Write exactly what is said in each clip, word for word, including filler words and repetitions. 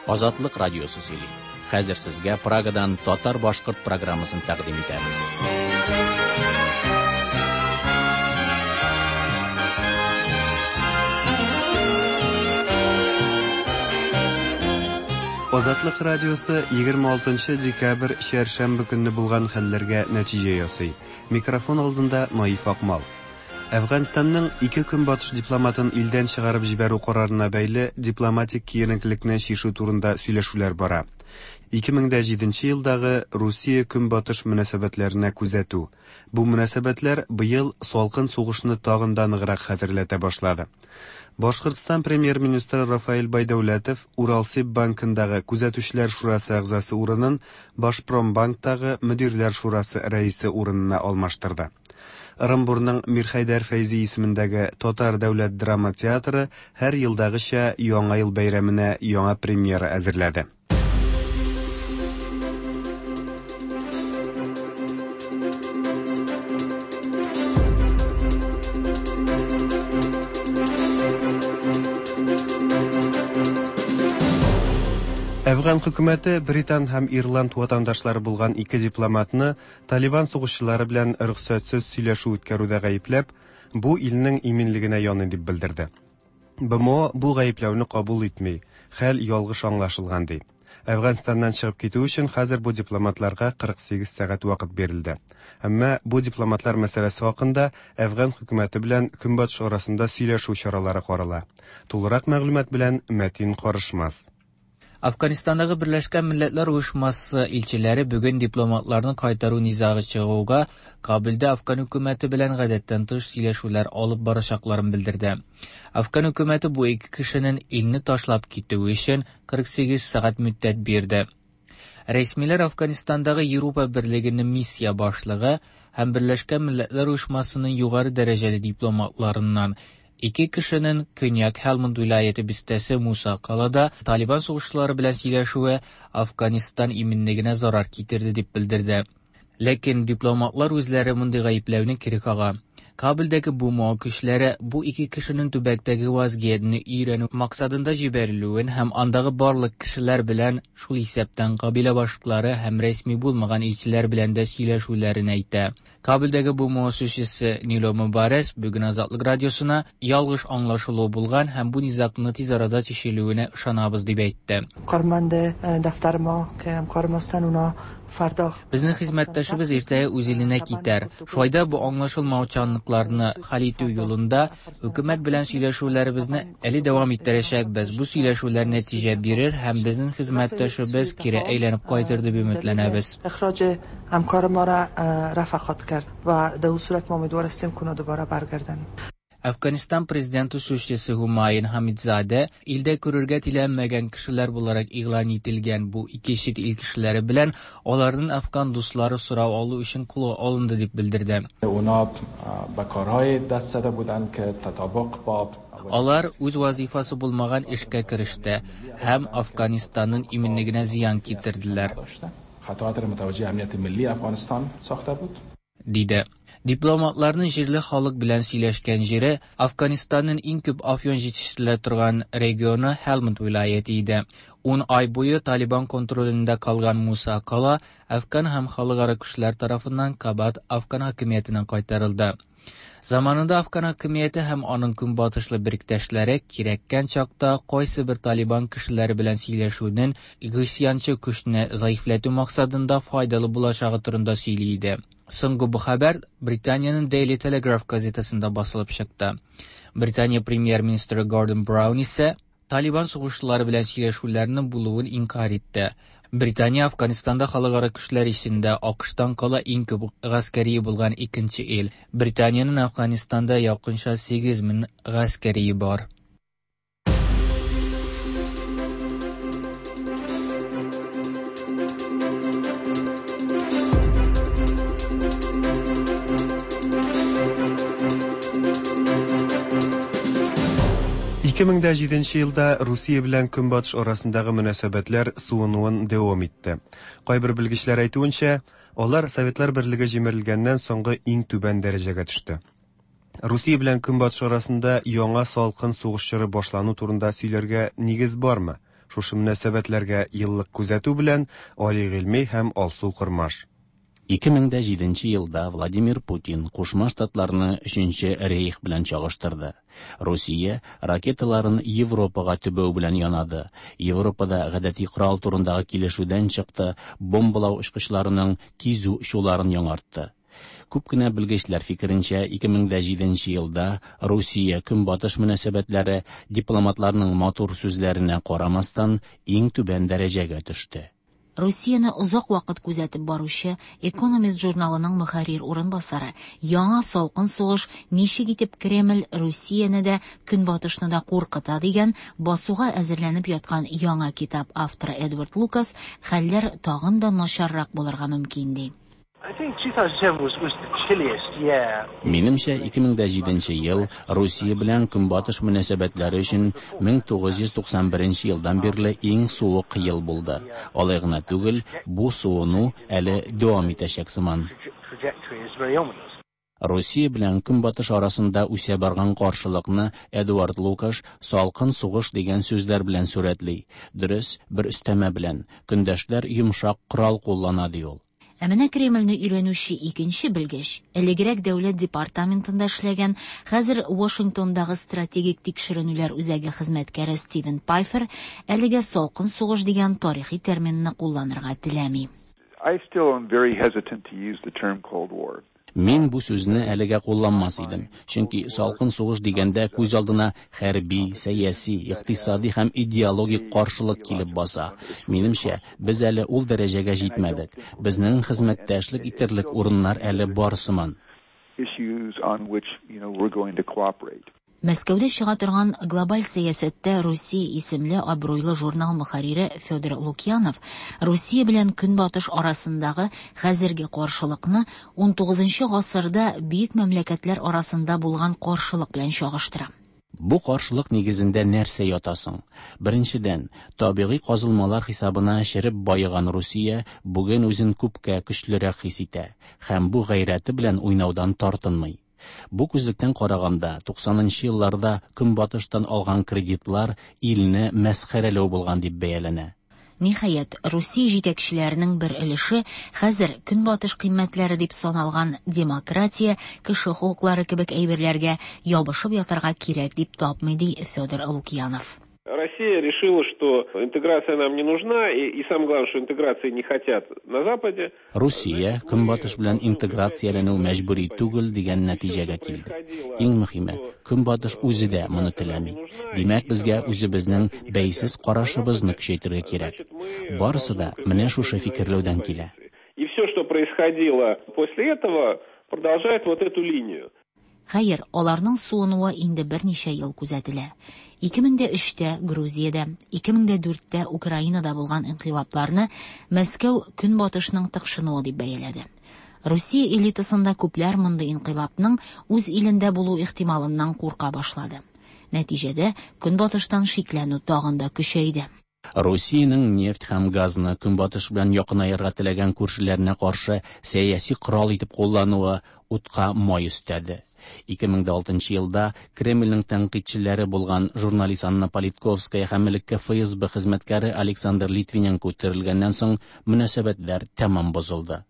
Азатлык радиосы сөйли. Хәзер сезгә Прагадан татар-башкорт программасын тәкъдим итәбез. Азатлык радиосы егерме алтынчы декабрь чәршәмбе көнне булган хәлләргә нәтиҗә ясый. Микрофон алдында Наиф Акмал. Әфганстанның ике көнбатыш дипломатын илдән чыгарып җибәрү карарына бәйле дипломатик киеренкелекне чишү турында сөйләшүләр бара. Ике мең дә җиденче елдагы Русия көнбатыш мөнәсәбәтләренә күзәтү. Бу мөнәсәбәтләр быел салкын сугышны тагын да ныграк хәтерләтә башлады. Башкортстан премьер-министры Рафаэль Байдәүләтов Уралсиб банкындагы күзәтүчеләр шурасы әгъзасы урынын Башпромбанктагы мөдирләр шурасы рәисе урынына алмаштырды. Ырымбурның Мирхәйдәр Фәйзи исемендәге Татар дәүләт драма театры һәр елдагыча Яңа ел бәйрәменә яңа премьера әзерләде. Әфган хөкүмәте Британ һәм Ирланд ватандашлары булган ике дипломатны Талибан сугышчылары белән рөхсәтсез сөйләшү үткәрүдә гаепләп, бу илнең иминлегенә яный дип белдерде. Б М О бу гаепләүне кабул итми, хәл ялгыш аңлашылган ди. Әфганстаннан чыгып китү өчен хәзер бу дипломатларга кырык сигез сәгать вакыт бирелде. Әмма бу дипломатлар мәсьәләсе хакында Әфган хөкүмәте белән Көнбатыш арасында сөйләшү чаралары карала. Тулырак мәгълүмат белән Мәтин Карышмас. Афганистандагы Берләшкән Милләтләр Оешмасы илчеләре бүген дипломатларны кайтару низагы чыгуга Кабулда Афган хөкүмәте белән гадәттән тыш сөйләшүләр алып барачакларын белдерде. Афган хөкүмәте бу ике кешенең илне ташлап китүе өчен кырык сигез сәгать мөддәт бирде. Рәсмиләр Афганистандагы Европа Берлегенең миссия башлыгы һәм Берләшкән Милләтләр Оешмасының югары дәрәҗәле дипломатларыннан ике кешенең Көньяк Һелманд вилаяте бистәсе Муса Калада Талибан сугышчылары белән сөйләшүе Афганистан иминлегенә зарар китерде дип белдерде. Ләкин дипломатлар үзләре мондый гаепләүне кире кага. Кабулдагы Б М О көчләре бу ике кешенең төбәктәге вазгыятьне өйрәнү максатында җибәрелүен һәм андагы барлык кешеләр белән, шул исәптән кабилә башлыклары һәм рәсми булмаган илчеләр белән дә сөйләшүләрен әйтә. Кабулдагы Б М О сөйләшчесе Нило Мубарес бүген Азатлык радиосына ялгыш аңлашылу булган һәм бу низагны тиз арада чишелүенә ышанабыз дип әйтте. Карманде дафтар ма, ке һәмкарымыздан уна фарда. Безнең хезмәттәшебез иртәгә үз иленә китәр. Шулай да бу аңлашылмаучанлыкларны хәл итү юлында хөкүмәт белән сөйләшүләребезне әле дәвам иттерәчәкбез. Бу сөйләшүләр нәтиҗә бирер һәм безнең хезмәттәшебез кире әйләнеп кайтыр дип өметләнәбез. Ихраҗ һәмкарымара, э, рафа хат кард ва да у сурат ма умидвар ҳастем, ки уна дубара баргарданд. Афганистан президенты сөзчесе Хумайын Хамидзаде илдә күрергә теләмәгән кешеләр буларак игълан ителгән бу ике чит ил кешеләре белән аларның афган дуслары сорау алу өчен кулга алынды дип белдерде. Уна ба корҳои даст зада буданд ки татабуқ бо Алар үз вазифасы булмаган эшкә кереште һәм Афганистанның иминлегенә зыян китерделәр. Хатарат мутаваҗҗиһ амнияти милли Афганистан сохта буд. Диде. Дипломатларның җирле халык белән сөйләшкән җире Афганистанның иң күп афьон җитештерелә торган регионы Һелманд вилаяте иде. Ун ай буе Талибан контролендә калган Муса Кала Афган һәм халыкара көчләр тарафыннан кабат Афган хакимиятенә кайтарылды. Заманында Афган хакимияте һәм аның көнбатышлы беректәшләре кирәккән чакта кайсы бер Талибан кешеләре белән сөйләшүнең гыйсьянчы көчне зәгыйфьләтү максатында файдалы булачагы турында сөйли иде. Соңгы бу хәбәр Британиянең Daily Telegraph газетасында басылып чыкты. Британия премьер-министры Гордон Браун исә Талибан сугышчылары белән сөйләшүләрнең булуын инкар итте. Британия Афганистанда халыкара көчләр эчендә АКШтан кала иң күп гаскәрие булган икенче ил. Британиянең Афганистанда якынча сигез мең гаскәрие бар. Ике мең дә җиденче елда Русия белән Көнбатыш арасындагы мөнәсәбәтләр суынуын дәвам итте. Кайбер белгечләр әйтүенчә, алар Советлар Берлеге җимерелгәннән соңгы иң түбән дәрәҗәгә төште. Русия белән Көнбатыш арасында яңа салкын сугыш чоры башлану турында сөйләргә нигез бармы? Шушы мөнәсәбәтләргә еллык күзәтү белән Али Гыйльми һәм Алсу Кормаш. ике мең дә җиденче елда Владимир Путин Кушма Штатларны Өченче Рейх белән чагыштырды. Русия ракеталарын Европага төбәү белән янады. Европада гадәти корал турындагы килешүдән чыкты, бомбалау очкычларының кизү очуларын яңартты. Күп кенә белгечләр фикеренчә, ике мең дә җиденче елда Русия Көнбатыш мөнәсәбәтләре дипломатларның матур сүзләренә карамастан иң түбән дәрәҗәгә төште. Русияне озак вакыт күзәтеп баручы Economist журналының мөхәррир урынбасары яңа салкын сугыш ничек итеп Кремль Русияне дә, Көнбатышны да куркыта дигән басуга әзерләнеп яткан яңа китап авторы Эдвард Лукас хәлләр тагын да начаррак булырга мөмкин ди. I think two thousand seven was, was the chilliest year. Минемчә, ике мең дә җиденче ел Русия белән Көнбатыш мөнәсәбәтләре өчен мең тугыз йөз туксан беренче елдан бирле иң суык ел булды. Алай гына түгел, бу суыну әле дәвам итәчәк сыман. Trajectory is very ominous. Русия белән Көнбатыш арасында үсә барган каршылыкны Эдуард Лукаш салкын сугыш дигән сүзләр белән сурәтли. Дөрес, бер өстәмә белән көндәшләр йомшак корал куллана ди ул. Ә менә Кремльне өйрәнүче икенче белгеч, элегрәк дәүләт департаментында эшләгән, хәзер Вашингтондагы стратегик тикшеренүләр үзәге хезмәткәре Стивен Пайфер әлегә салкын сугыш дигән тарихи терминны кулланырга теләми. I still am very hesitant to use the term Cold War. Мин бу сүзне әлегә кулланмас идем, чөнки салкын сугыш дигәндә күз алдына хәрби, сәяси, икътисади һәм идеологик каршылык килеп баса. Минемчә, без әле ул дәрәҗәгә җитмәдек. Безнең хезмәттәшлек итерлек урыннар әле бар сыман. Issues on which, you know, we're going to cooperate. Мәскәүдә чыга торган Глобаль сәясәттә Русия исемле абруйлы журнал мөхәррире Федор Лукьянов Русия белән Көнбатыш арасындагы хәзерге каршылыкны ун тугызынчы гасырда бөек мәмләкәтләр арасында булган каршылык белән чагыштыра. Бу каршылык нигезендә нәрсә ята соң? Беренчедән, табигый казылмалар хисабына череп байыган Русия бүген үзен күпкә көчлерәк хис итә һәм бу гайрәте белән уйнаудан тартынмый. Бу күзлектән караганда, туксанынчы елларда Көнбатыштан алган кредитлар илне мәсхәрәләү булган дип бәяләнә. Ниһаять, Русия җитәкчеләренең бер өлеше хәзер Көнбатыш кыйммәтләре дип саналган демократия, кеше хокуклары кебек әйберләргә ябышып ятарга кирәк дип тапмый, ди Федор Лукьянов. Россия решила, что интеграция нам не нужна, и, и самое главное, что интеграции не хотят на Западе. Русия Көнбатыш белән интеграцияләнү мәҗбүри түгел дигән нәтиҗәгә килде. Иң мөһиме, Көнбатыш үзе дә моны теләми. Димәк, безгә үзебезнең бәйсез карашыбызны көчәйтергә кирәк. Барысы да менә шушы фикерләүдән килә. И все, что происходило после этого, продолжает вот эту линию. Хәер, аларның суынуы инде берничә ел күзәтелә. Ике мең дә өчтә Грузиядә, ике мең дә дүрттә Украинада булган инкыйлабларны Мәскәү Көнбатышның тыкшынуы дип бәяләде. Русия элитасында күпләр мондый инкыйлабның үз илендә булу ихтималыннан курка башлады. Нәтиҗәдә Көнбатыштан шикләнү тагын да көчәйде. Русиянең нефть һәм газны Көнбатыш белән якынаерга теләгән күршеләренә каршы сәяси корал итеп куллануы утка май өстәде. Ике мең дә алтынчы елда Кремльнең тәнкыйтьчеләре булган журналист Анна Политковская һәм элекке Ф С Б хезмәткәре Александр Литвиненко үтерелгәннән соң мөнәсәбәтләр тәмам бозылды.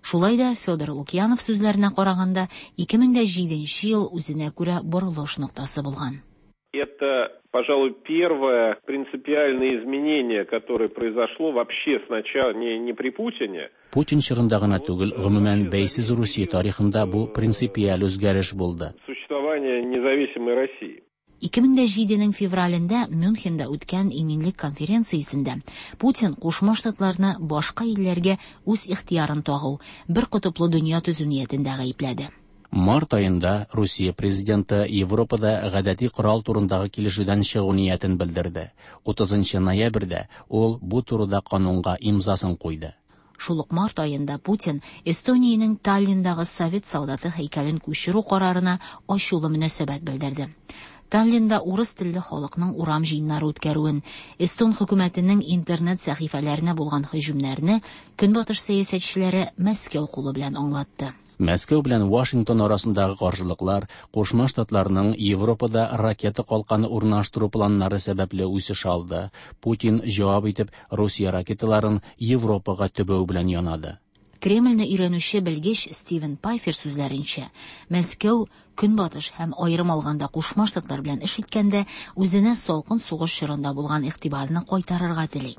Шулай да Федор Лукьянов сүзләренә караганда, ике мең дә җиденче ел үзенә күрә борылыш ноктасы булган. Это, пожалуй, первое принципиальное изменение, которое произошло вообще сначала не, не при Путине. Путин чорында гына түгел, гомумән бәйсез Русия тарихында бу принципиаль үзгәреш булды. Существование независимой России. Ике мең дә җиденең февралендә Мюнхенда үткән иминлек конференциясендә Путин Кушма Штатларны башка илләргә үз ихтыярын тагу, бер кутыплы дөнья төзү ниятендә гаепләде. Март айында Русия президенты Европада гадәти корал турындагы килешүдән чыгу ниятен белдерде. Утызынчы ноябрьдә ул бу турыда канунга имзасын куйды. Шул ук март айында Путин Эстониянең Таллиндагы совет солдаты һәйкәлен күчерү карарына ачулы мөнәсәбәт белдерде. Таллинда урыс телле халыкның урам җыеннары үткәрүен, Эстон хөкүмәтенең интернет сәхифәләренә булган һөҗүмнәрне Көнбатыш сәясәтчеләре Мәскәү кулы белән аңлатты. Мәскәү белән Вашингтон арасындагы каршылыклар Кушма Штатларның Европада ракета калканы урнаштыру планнары сәбәпле үсеш алды. Путин җавап итеп Русия ракеталарын Европага төбәү белән янады. Кремльне өйрәнүче белгеч Стивен Пайфер сүзләренчә, Мәскәү Көнбатыш һәм аерым алганда Кушма Штатлар белән эш иткәндә үзенә салкын сугыш чорында булган игътибарны кайтарырга тели.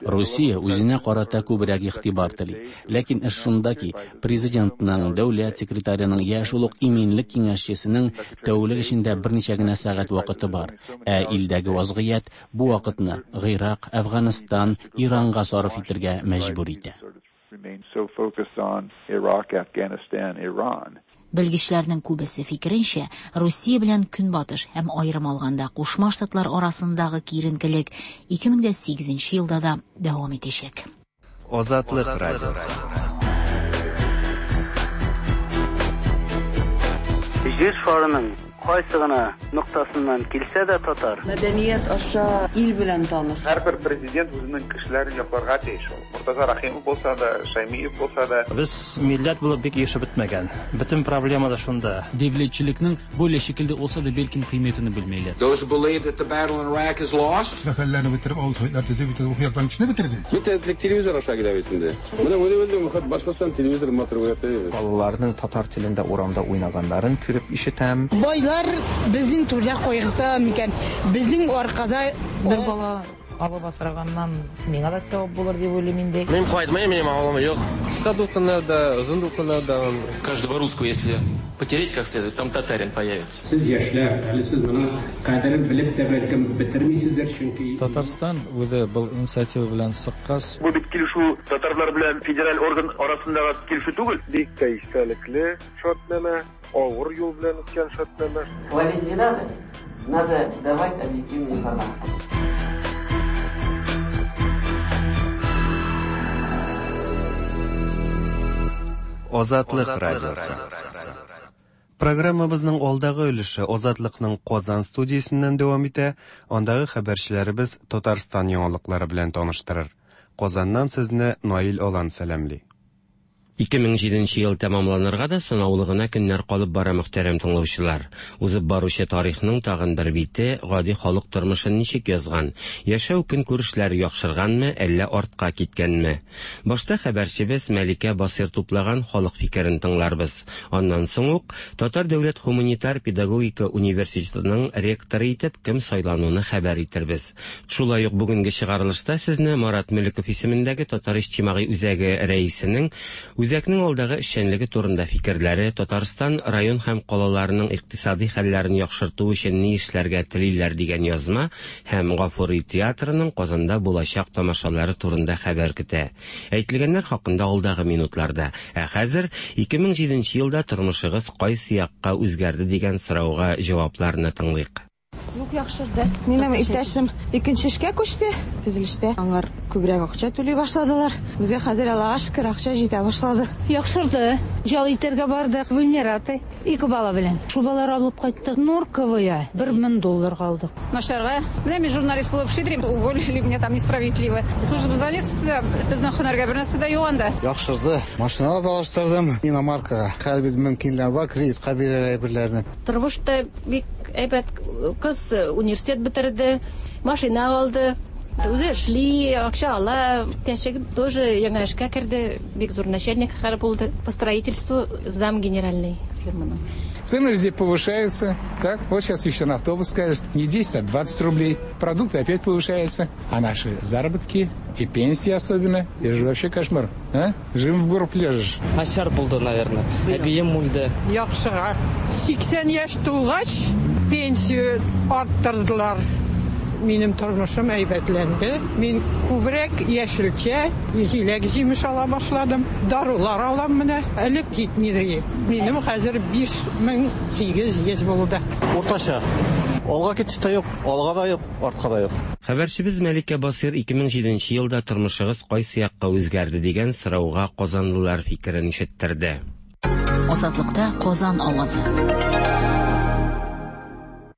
Русия үзенә карата күбрәк игътибар тели. Ләкин эш шунда ки, президентның, дәүләт секретареның я шул ук иминлек киңәшчесенең тәүлек эчендә берничә генә сәгать вакыты бар. Ә илдәге вазгыять бу вакытны Гыйрак, Әфганстан, Иранга сарыф итәргә мәҗбүр итә. Белгечләрнең күбесе фикеренчә, Русия белән Көнбатыш һәм аерым алганда Кушма Штатлар арасындагы киеренкелек ике мең дә сигезенче елда да дәвам итәчәк. Азатлык радиосы. Җир шарының кайсы гына ноктасыннан килсә дә татар. Мәдәният аша ил белән таныш. Һәрбер президент үзенең кешеләрен якларга тиеш. Муртаза Рахимов булса да, Шаймиев булса да. Без милләт булып бик ешып бетмәгән. Бөтен проблема да шунда. Дәүләтчелекнең бу шикелдә булса да бәлкем кыйммәтен белмәйләр. Those who believe that the battle in Iraq is lost. Мәхәлләне бетереп, авыл советлар төзеп, бөтен рухи яктан кешене бетерде. Бөтен телевизор аша килә бит инде. Менә үзе Башкортстан телевизор матур уята. Балаларның татар телендә урамда уйнаганнарын күреп ишетәм. Байлар безнең түрдә кайгырта микән? Безнең аркада бер бала алып асраганнан миңа да савап булыр дип уйлыйм инде. Мин кайтмыйм, минем авылым юк. Кыска дулкыннарда, озын дулкыннарда. Каждого русского, если потереть как следует, там татарин появится. Сез яшьләр, әле сез моның кадерен белеп тә бәлкем бетермисездер, чөнки Татарстан үзе был инициатива белән чыккач. Бу бит килешү татарлар белән федераль орган арасындагы килешү түгел. Бик тә истәлекле шартнамә, авыр юл белән үткән шартнамә. Хвалить не надо, надо давать объективную информацию. Азатлык радиосы. Программабызның алдагы өлеше Азатлыкның Казан студиясеннән дәвам итә. Андагы хәбәрчеләребез Татарстан яңалыклары белән таныштырыр. Казаннан сезне Наил Алан сәламли. ике мең җиденче ел тәмамланырга да санаулы гына көннәр калып бара, мөхтәрәм тыңлаучылар. Узып баручы тарихның тагын бер бите гади халык тормышын ничек язган, яшәү көнкүрешләре яхшырганмы, әллә артка киткәнме? Башта хәбәрчебез Мәликә Басир туплаган халык фикерен тыңларбыз. Аннан соң ук Татар дәүләт гуманитар педагогика университетының ректоры итеп кем сайлануны хәбәр итербез. Шулай ук бүгенге чыгарылышта сезне Марат Мөлеков исемендәге Татар иҗтимагый үзәге рәисенең Үзәкнең алдагы эшчәнлеге турында фикерләре, Татарстан район һәм калаларының икътисади хәлләрен яхшырту өчен ни эшләргә телиләр дигән язма һәм Гафури театрының Казанда булачак тамашалары турында хәбәр көтә. Әйтелгәннәр хакында алдагы минутларда. Ә хәзер ике мең җиденче елда тормышыгыз кайсы якка үзгәрде дигән сорауга җавапларны тыңлыйк. Юк, яхшырды. Минем иптәшем икенче эшкә күчте. Төзелештә аңар күбрәк акча түли башладылар. Безгә хәзер Аллага шөкер акча җитә башлады. Яхшырды. Ял итәргә бардык. Вильнераты ике бала белән. Шубалар алып кайттык. Норковая бер мең долларга алдык. Начарга. Менә мин журналист булып эшлим. Уволили меня там несправедливо. Служба занятости безнең һөнәргә бер нәрсә дә юк анда. Яхшырды. Машина да алыштырдым. Иномаркага. Хәзер бит мөмкинләр бар, кредитка бирәләр әйберләрне. Тормышта бик әйбәт. Кыз университет бетерде, машина алды. Үзе эшли, акча ала. Тәшек тоже яңа эшкә керде, бик зур начальник хәл булды. По строительству зам генеральный фирманың. Цены везде повышаются. Так, вот сейчас еще на автобус скажешь, не десять, а двадцать рублей. Продукты опять повышаются. А наши заработки и пенсии особенно, это же вообще кошмар. А? Живым в горб лежишь. Начар булды, наверное. Әбием үлде. Яхшыга. сиксән яшь тулгач, пенсия арттырдылар. Минем тормышым әйбәтләнде. Мин күбрәк яшелчә, җиләк җимеш ала башладым. Дарулар алам менә. Элек җитмидер. Минем хәзер биш мең сигез йөз булды. Уртача. Алга китеш тә юк, алга да юк, артка да юк. Хәбәрчебез Мәликә Басир ике мең җиденче елда тормышыгыз кайсы якка үзгәрде дигән сорауга казанлылар фикерен ишеттерде. Азатлыкта Казан авазы.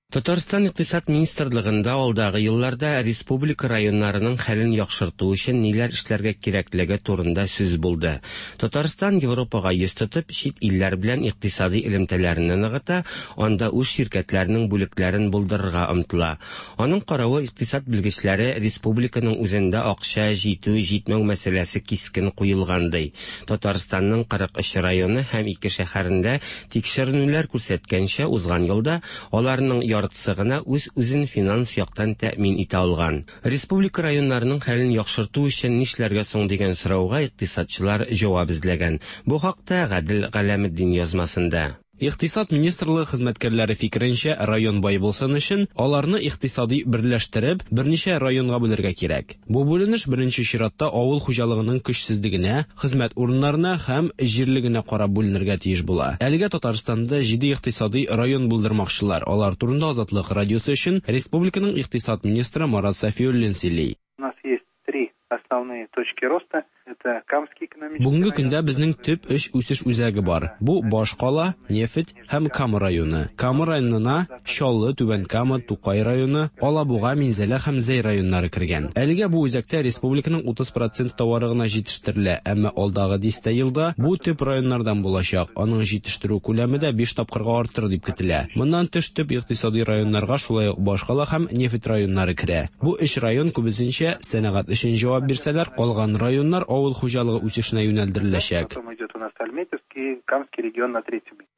Татарстан Икътисад министрлыгында алдагы елларда республика районнарының хәлен яхшырту өчен ниләр эшләргә кирәклеге турында сүз булды. Татарстан Европага йөз тотып, чит илләр белән икътисади элемтәләрне ныгыта, анда үз ширкәтләренең бүлекләрен булдырырга омтыла. Аның каравы, икътисад белгечләре республиканың үзендә акча җитү-җитмәү мәсьәләсе кискен куелган ди. Татарстанның кырык өч районы һәм ике шәһәрендә тикшеренүләр күрсәткәнчә, узган елда аларның яртысы гына үз-үзен финанс яктан тәэмин итә алган. Республика районнарының хәлен яхшырту өчен нишләргә соң дигән сорауга икътисадчылар җавап эзләгән. Бу хакта Гадел Галәметдин язмасында. Икътисад министрлыгы хезмәткәрләре фикеренчә, район бай булсын өчен аларны икътисади берләштереп, берничә районга бүлергә кирәк. Бу бүленеш беренче чиратта авыл хуҗалыгының көчсезлегенә, хезмәт урыннарына һәм җирлегенә карап бүленергә тиеш була. Әлегә Татарстанда җиде икътисади район булдырмакчылар. Алар турында Азатлык радиосы өчен республиканың икътисад министры Марат Сафиуллин сөйли. У нас есть три основные точки роста. Это Камский экономический Бүгенге көндә безнең төп өч үсеш үзәге бар. Бу башкала, нефть һәм Кама районы. Кама районына Чаллы, Түбән Кама, Тукай районы, Алабуга, Минзәлә һәм Зәй районнары кергән. Әлегә бу үзәктә республиканың утыз процент товары гына җитештерелә, әмма алдагы дистә елда бу төп районнардан булачак. Аның җитештерү күләме дә биш тапкырга артыр дип көтелә. Моннан тыш төп икътисади районнарга шулай ук башкала һәм нефть районнары керә. Бу өч район күбесенчә сәнәгать өчен җавап бирсәләр, калган районнар авыл хуҗалыгы үсешенә юнәлдереләчәк.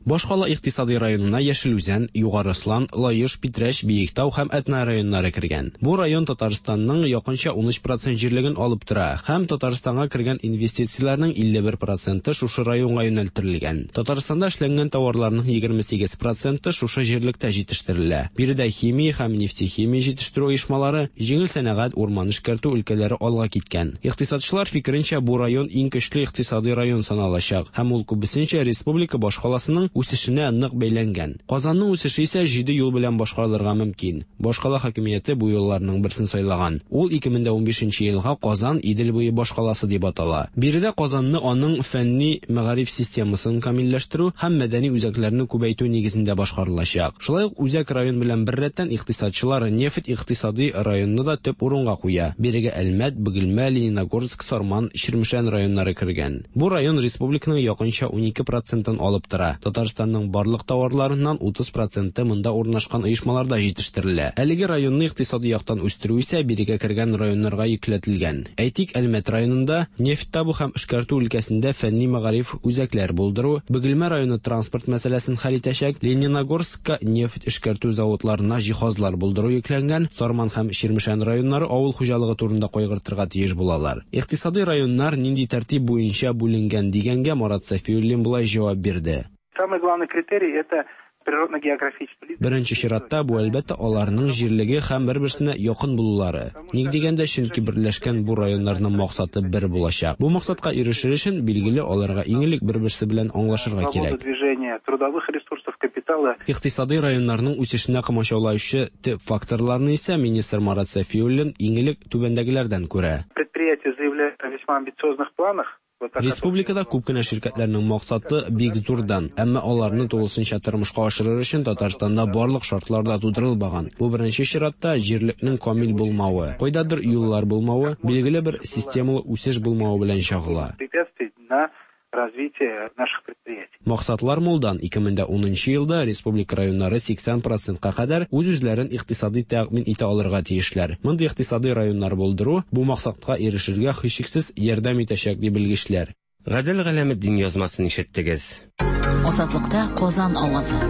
Башкала икътисади районына Яшел Үзән, Югары Ослан, Лаеш, Питрәч, Биектау һәм Әтнә районнары кергән. Бу район Татарстанның якынча ун өч процент җирлеген алып тора һәм Татарстанга кергән инвестицияләрнең илле бер проценты шушы районга юнәлдерелгән. Татарстанда эшләнгән товарларның егерме сигез проценты шушы җирлектә җитештерелә. Биредә химия һәм нефтехимия җитештерү оешмалары, җиңел сәнәгать, урман эшкәртү өлкәләре алга киткән. Икътисадчылар фикеренчә, бу район иң көчле икътисади район саналачак һәм ул күбесенчә республика башкаласының үсешенә нык бәйләнгән. Казанның үсеше исә җиде юл белән башкарылырга мөмкин. Башкала хакимияте бу юлларның берсен сайлаган. Ул ике мең дә унбишенче елга Казан Идел буе башкаласы дип атала. Биредә Казанны аның фәнни мәгариф системасын камилләштерү һәм мәдәни үзәкләрне күбәйтү нигезендә башкарылачак. Шулай ук үзәк район белән беррәттән икътисадчылар нефть икътисади районны да төп урынга куя. Бирегә Әлмәт, Бөгелмә, Лениногорск, Сарман, Чирмешән районнары кергән. Бу район республиканың якынча унике процентын алып тора. Татарстанның барлык товарларыннан утыз проценты монда урнашкан оешмаларда җитештерелә. Әлеге районны икътисади яктан үстерү исә бирегә кергән районнарга йөкләтелгән. Әйтик, Әлмәт районында нефть табу һәм эшкәртү өлкәсендә фәнни мәгариф үзәкләр булдыру, Бөгелмә районы транспорт мәсьәләсен хәл итәчәк, Лениногорскка нефть эшкәртү заводларына җиһазлар булдыру йөкләнгән, Сарман һәм Чирмешән районнары авыл хуҗалыгы турында кайгыртырга тиеш булалар. Икътисади районнар нинди тәртип буенча бүленгән дигәнгә Марат Сафиуллин болай җавап бирде. Самый главный критерий это природно-географический. Беренче чиратта бу әлбәттә аларның җирлеге һәм бер-берсенә якын булулары. Ник дигәндә, чөнки берләшкән бу районнарның максаты бер булачак. Бу максатка ирешер өчен билгеле аларга иң элек бер-берсе белән аңлашырга кирәк. Движение трудовых ресурсов, капитала. Икътисади районнарның үсешенә комачаулаучы төп факторларны исә министр Марат Сафиуллин иң элек түбәндәгеләрдән күрә. Предприятие заявляет о весьма амбициозных планах. Республикада күп кенә ширкәтләрнең максаты бик зурдан, әмма аларны тулысынча тормышка ашырыр өчен Татарстанда барлык шартлар да тудырылмаган. Бу беренче чиратта җирлекнең камил булмавы, кайдадыр юллар булмавы, билгеле бер системалы үсеш булмавы белән чагыла. Развитие наших предприятий. Максатлар мулдан. Ике мең дә унынчы елда республика районнары сиксән процентка кадәр үз-үзләрен икътисади тәэмин итә алырга тиешләр. Мондый икътисади районнар булдыру бу максатка ирешергә һичшиксез ярдәм итәчәк ди белгечләр. Гадел Галәметдин язмасын ишеттегез. Азатлыкта Казан авазы.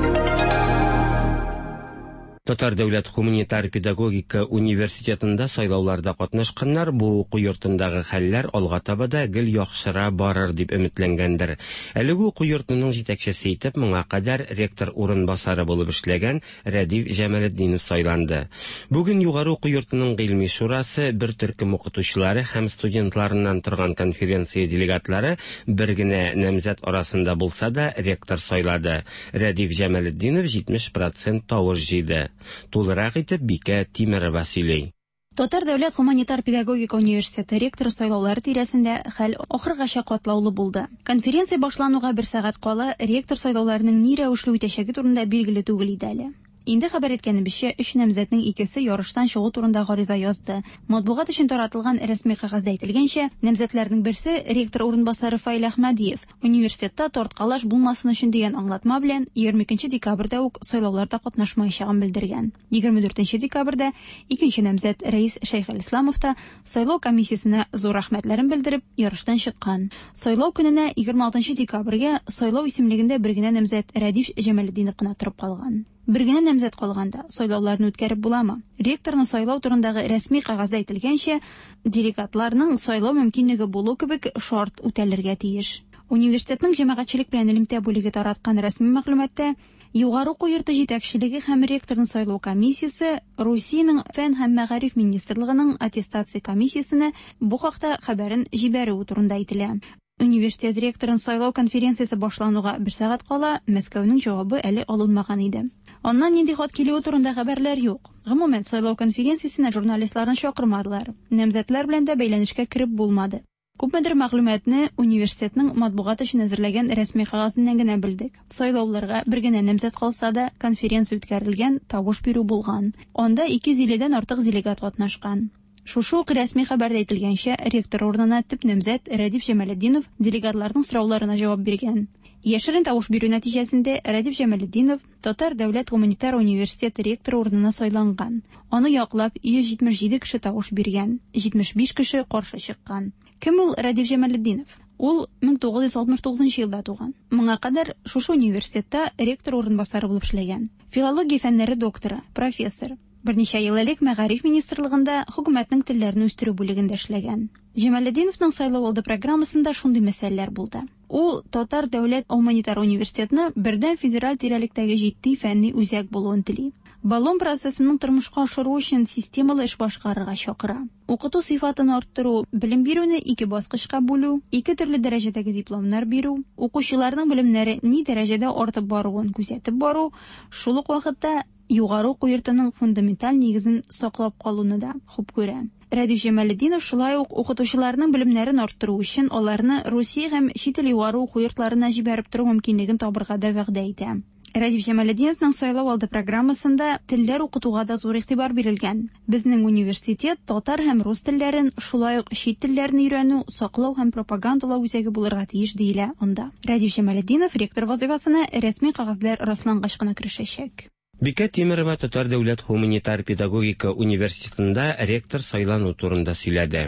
Татар дәүләт гуманитар педагогика университетында сайлауларда катнашканнар бу уку йортындагы хәлләр алга таба да гел яхшыра барыр дип өметләнгәндер. Әлеге уку йортының җитәкчесе итеп моңа кадәр ректор урынбасары булып эшләгән Рәдиф Җамалетдинов сайланды. Бүген югары уку йортының гыйльми шурасы бер төркем укытучылары һәм студентларыннан торган конференция делегатлары бер генә намзәт арасында булса да ректор сайлады. Рәдиф Җамалетдинов җитмеш процент тавыш җыйды. Тулырак итеп Бикә Тимерова сөйли. Татар дәүләт гуманитар педагогика университеты ректоры сайлаулары тирәсендә хәл ахыргача катлаулы булды. Конференция башлануга бер сәгать кала ректор сайлауларының ни рәвешле үтәчәге турында билгеле түгел иде әле. Инде хәбәр иткәнебезчә, өч намзәтнең икесе ярыштан чыгу турында гариза язды. Матбугат өчен таратылган рәсми кәгазьдә әйтелгәнчә, намзәтләрнең берсе ректор урынбасары Фаил Әхмәдиев университетта тарткалаш булмасын өчен дигән аңлатма белән егерме икенче декабрьдә үк сайлауларда катнашмаячагын белдергән. егерме дүртенче декабрьдә икенче намзәт Рәис Шәйхелисламов та сайлау комиссиясенә зур рәхмәтләрен белдереп ярыштан чыккан. Сайлау көненә егерме алтынчы декабрьгә сайлау исемлегендә бер генә намзәт Рәдиф Җамалетдинов кына торып калган. Бер генә намзәт калганда сайлауларны үткәреп буламы? Ректорны сайлау турындагы рәсми кәгазьдә әйтелгәнчә, делегатларның сайлау мөмкинлеге булу кебек шарт үтәлергә тиеш. Университетның җәмәгатьчелек белән элемтә бүлеге тараткан рәсми мәгълүматта Югары уку йорты җитәкчелеге һәм ректорны сайлау комиссиясе Русиянең фән һәм мәгариф министрлыгының аттестация комиссиясенә бу хакта хәбәрен җибәрүе турында әйтелә. Университет ректорын сайлау конференциясе башлануга бер сәгать кала Мәскәүнең җавабы әле алынмаган иде. Аннан нинди хат килүе турында хәбәрләр юк. Гомумән, сайлау конференциясенә журналистларны чакырмадылар. Намзәтләр белән дә бәйләнешкә кереп булмады. Күпмедер мәгълүматны университетның матбугат өчен әзерләгән рәсми кәгазеннән генә белдек. Сайлауларга бер генә намзәт калса да, конференция үткәрелгән, тавыш бирү булган. Анда ике йөз илледән артык делегат катнашкан. Шушы ук рәсми хәбәрдә әйтелгәнчә, ректор урынына төп намзәт Рәдиф Җамалетдинов делегатларның сорауларына җавап биргән. Яшерен тавыш бирү нәтиҗәсендә Рәдиф Җамалетдинов Татар дәүләт гуманитар университеты ректоры урынына сайланган. Аны яклап йөз җитмеш җиде кеше тавыш биргән, җитмеш биш кеше каршы чыккан. Кем ул Рәдиф Җамалетдинов? Ул мең тугыз йөз алтмыш тугызынчы елда туган. Моңа кадәр шушы университетта ректор урынбасары булып эшләгән. Филология фәннәре докторы, профессор. Берничә ел элек Мәгариф министрлыгында хөкүмәтнең телләрне үстерү бүлегендә эшләгән. Җамалетдиновның сайлау алды программасында шундый мәсьәләләр булды. Ул Татар дәүләт гуманитар университетны бердәм федераль тирәлектәге җитди фәнни үзәк булуын тели. Болон процессының тормышка ашыру өчен системалы эш башкарырга чакыра. Укыту сыйфатын арттыру, белем бирүне ике баскычка бүлү, ике төрле дәрәҗәдәге дипломнар бирү, укучыларның белемнәре ни дәрәҗәдә артып баруын күзәтеп бару, шул ук вакытта югары уку йортының фундаменталь нигезен саклап калуны да хуп күрә. Рәдиф Җамалетдинов шулай ук укытучыларның белемнәрен арттыру өчен аларны Русия һәм чит ил югары уку йортларына җибәреп тору мөмкинлеген табырга да вәгъдә итә. Рәдиф Җамалетдиновның сайлау алды программасында телләр укытуга да зур игътибар бирелгән. Безнең университет татар һәм рус телләрен, шулай ук чит телләрне өйрәнү, саклау һәм пропагандалау үзәге булырга тиеш диелә анда. Рәдиф Җамалетдинов ректор вазифасына рәсми кәгазьләр раслангач кына керешәчәк. Бикә Тимерова Татар дәүләт гуманитар педагогика университетында ректор сайлану турында сөйләде.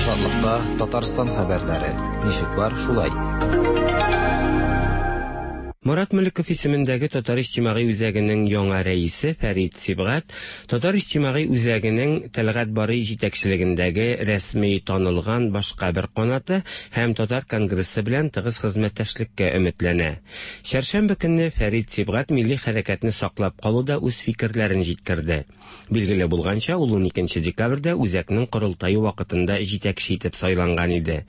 Азатлыкта Татарстан хәбәрләре. Ничек бар, шулай. Морат Мөлеков исемендәге Татар иҗтимагый үзәгенең яңа рәисе Фәрит Сибгат Татар иҗтимагый үзәгенең Тәлгать Барый җитәкчелегендәге рәсми танылган башка бер канаты һәм Татар конгрессы белән тыгыз хезмәттәшлеккә өметләнә. Чәршәмбе көнне Фәрит Сибгат милли хәрәкәтне саклап калуда үз фикерләрен җиткерде. Билгеле булганча, ул уникенче декабрьдә үзәкнең корылтае вакытында җитәкче итеп сайланган иде.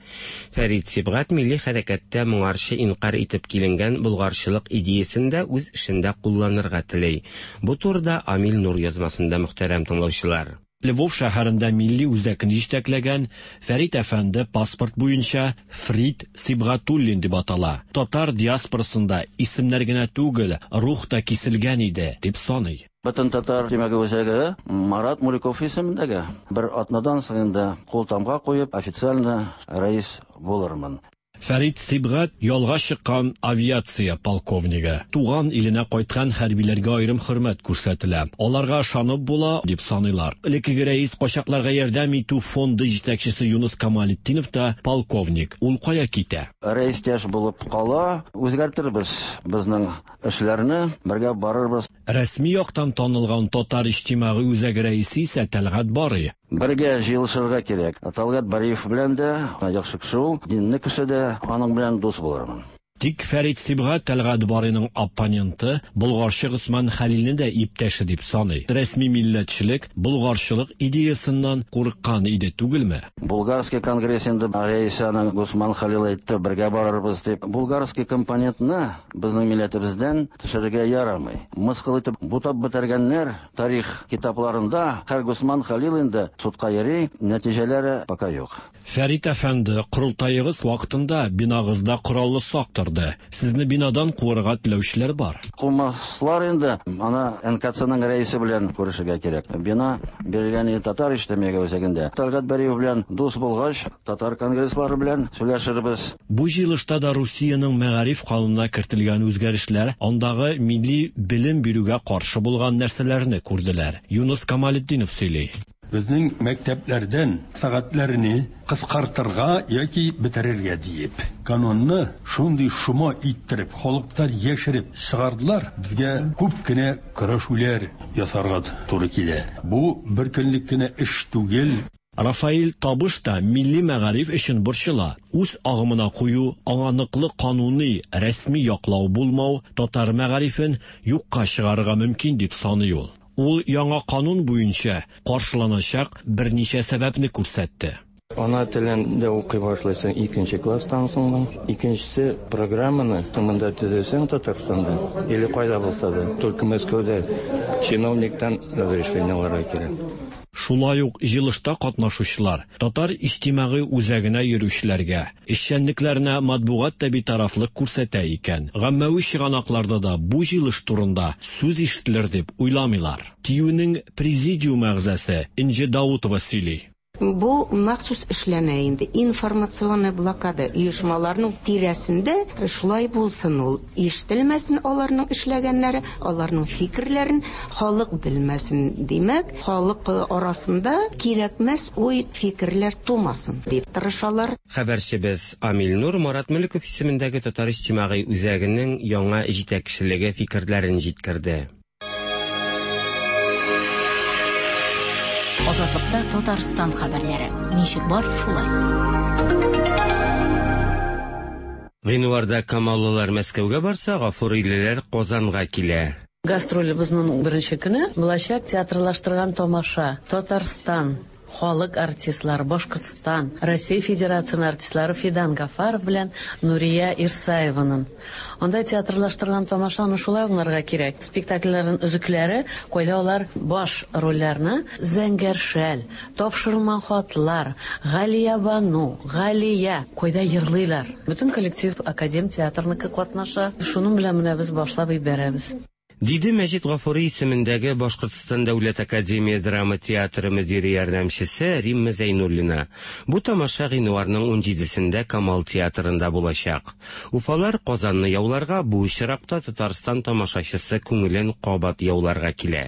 Фәрит Сибгат милли хәрәкәттә моңарчы инкар итеп киленгән булгарчы идеясын да үз эшендә кулланырга тели. Бу турыда Амил Нур язмасында, мөхтәрәм тыңлаучылар. Львов шәһәрендә милли үзәкне җитәкләгән Фәрит әфәнде паспорт буенча Фрид Сибгатуллин дип атала. Татар диаспорасында исемнәр генә түгел, рух та киселгән иде, дип саный. Бөтен татар җәмәгать үзәге Марат Муликов исемендәге. Бер атнадан соң инде кул тамга куеп официально рәис булырмын. Фәрит Сибгат ялга чыккан авиация полковнигы. Туган иленә кайткан хәрбиләргә аерым хөрмәт күрсәтелә. Аларга ышанып була, дип саныйлар. Элеккеге рәис качакларга ярдәм итү фонды җитәкчесе Юнус Камалетдинов та полковник. Ул кая китә? Рәис яшь булып кала, үзгәртербез безнең эшләрне, бергә барырбыз. Рәсми яктан танылган Татар иҗтимагый үзәге рәисе исә Тәлгать Барый. Бергә җыелышырга кирәк. Тәлгать Бариев белән дә яхшы кеше ул, динле кеше дә, аның белән дус булырмын. Тик Фәрит Сибгат Тәлгать Барыйның оппоненты булгарчы Госман Хәлилне дә иптәше дип саный. Рәсми милләтчелек булгарчылык идеясыннан курыккан иде түгелме? Булгарский конгресс инде рәисе аның Госман Хәлил әйтте, бергә барырбыз дип. Булгарский компонентны безнең милләтебездән төшерергә ярамый. Мыскыл итеп бутап бетергәннәр тарих китапларында һәр Госман Хәлил инде судка йөри, нәтиҗәләре пока юк. Фәрит әфәнде, корылтаегыз вакытында бинагызда кораллы сак торды. Сезне бинадан куарга теләүчеләр бар. Кумаслар инде, ана Н К Цның рәисе белән күрешергә кирәк. Бина бирелгән татар иҗтимагый үзәгендә. Талгат Бариев белән дус булгач, татар конгресслары белән сөйләшербез. Бу җыелышта да Русиянең мәгариф канунына кертелгән үзгәрешләр андагы милли белем бирүгә каршы булган нәрсәләрне күрделәр. Юнус Камалетдинов сөйли. Безнең мәктәпләрдән сәгатьләрне кыскартырга яки бетерергә диеп. Канунны шундый шома иттереп, халыктан яшереп чыгардылар. Безгә күп кенә көрәшүләр ясарга туры килә. Бу бер көнлек кенә эш түгел. Рафаил Табыш та милли мәгариф өчен борчыла. Үз агымына кую, аңа ныклы кануни, рәсми яклау булмау татар мәгарифен юкка чыгарырга мөмкин дип саный ул. Ул яңа канун буенча каршыланачак берничә сәбәпне күрсәтте. Ана телен дә укый башлыйсың икенче класстан соң. Икенчесе программаны монда төзесең Татарстанда или кайда булса да, только Мәскәүдә чиновниктан разрешение алырга кирәк. Шулай ук җыелышта катнашучылар татар иҗтимагый үзәгенә йөрүчеләргә, эшчәнлекләренә матбугат та битарафлык күрсәтә икән. Гаммәви чыганакларда да бу җыелыш турында сүз ишетелер дип уйламыйлар. ТИҮнең президиум әгъзасы Инҗе Даутова сөйли. Бу махсус эшләнә инде. Информационная блокада оешмаларның тирәсендә шулай булсын ул. Ишетелмәсен аларның эшләгәннәре, аларның фикерләрен халык белмәсен. Димәк, халык арасында кирәкмәс уй фикерләр тумасын дип тырышалар. Хәбәрчебез Амил Нур Марат Мөлеков исемендәге Татар иҗтимагый үзәгенең яңа җитәкчелеге фикерләрен җиткерде. Азатлыкта Татарстан хәбәрләре. Ничек бар, шулай. Гыйнварда Камаллылар Мәскәүгә барса, Гафурилеләр Казанга килә. Гастролебезнең беренче көне булачак театрлаштырган тамаша. Татарстан халык артистлары, Башкортстан, Россия Федерациясының артистлары Фидан Гафаров белән Нурия Ирсаеваның. Анда театрлаштырган тамашаны шулай аңларга кирәк. Спектакльләрнең өзекләре, кайда алар баш рольләрне Зәңгәр шәл, Тапшырылмаган хатлар, Галия Бану, Галия, кайда йырлыйлар. Бөтен коллектив академ театрныкы катнаша. Шуның белән менә без башлап җибәрәбез. Диде Мәҗит Гафури исемендәге Башкортстан Дәүләт академия драма театры мөдире ярдәмчесе Римма Зәйнуллина. Бу тамаша гыйнварның ун җидесендә Камал театрында булачак. Уфалар Казанны яуларга, бу очракта Татарстан тамашачысы күңелен кабат яуларга килә.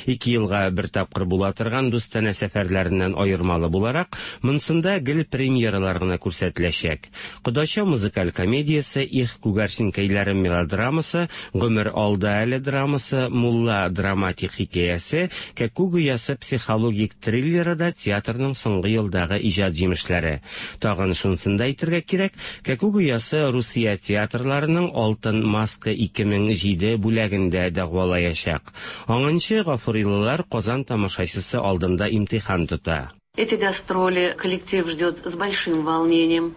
Ике елга бер тапкыр була торган дустанә сәфәрләреннән аермалы буларак, монсында гел премьералар гына күрсәтеләчәк. Кодача музыкаль комедиясе, Их күгәрченкәйләре мелодрамасы, Гомер алда әле драмасы, Мулла драматик хикәясе, Кәкүк оясы психологик триллеры да театрның соңгы елдагы иҗат җимешләре. Тагын шунысын да әйтергә кирәк, Кәкүк оясы Русия театрларының Алтын маска ике мең җиде бүләгендә дәгъвалаячак. Аңынчы гафурилылар Казан тамашачысы алдында имтихан тота. Эти гастроли коллектив ждет с большим волнением,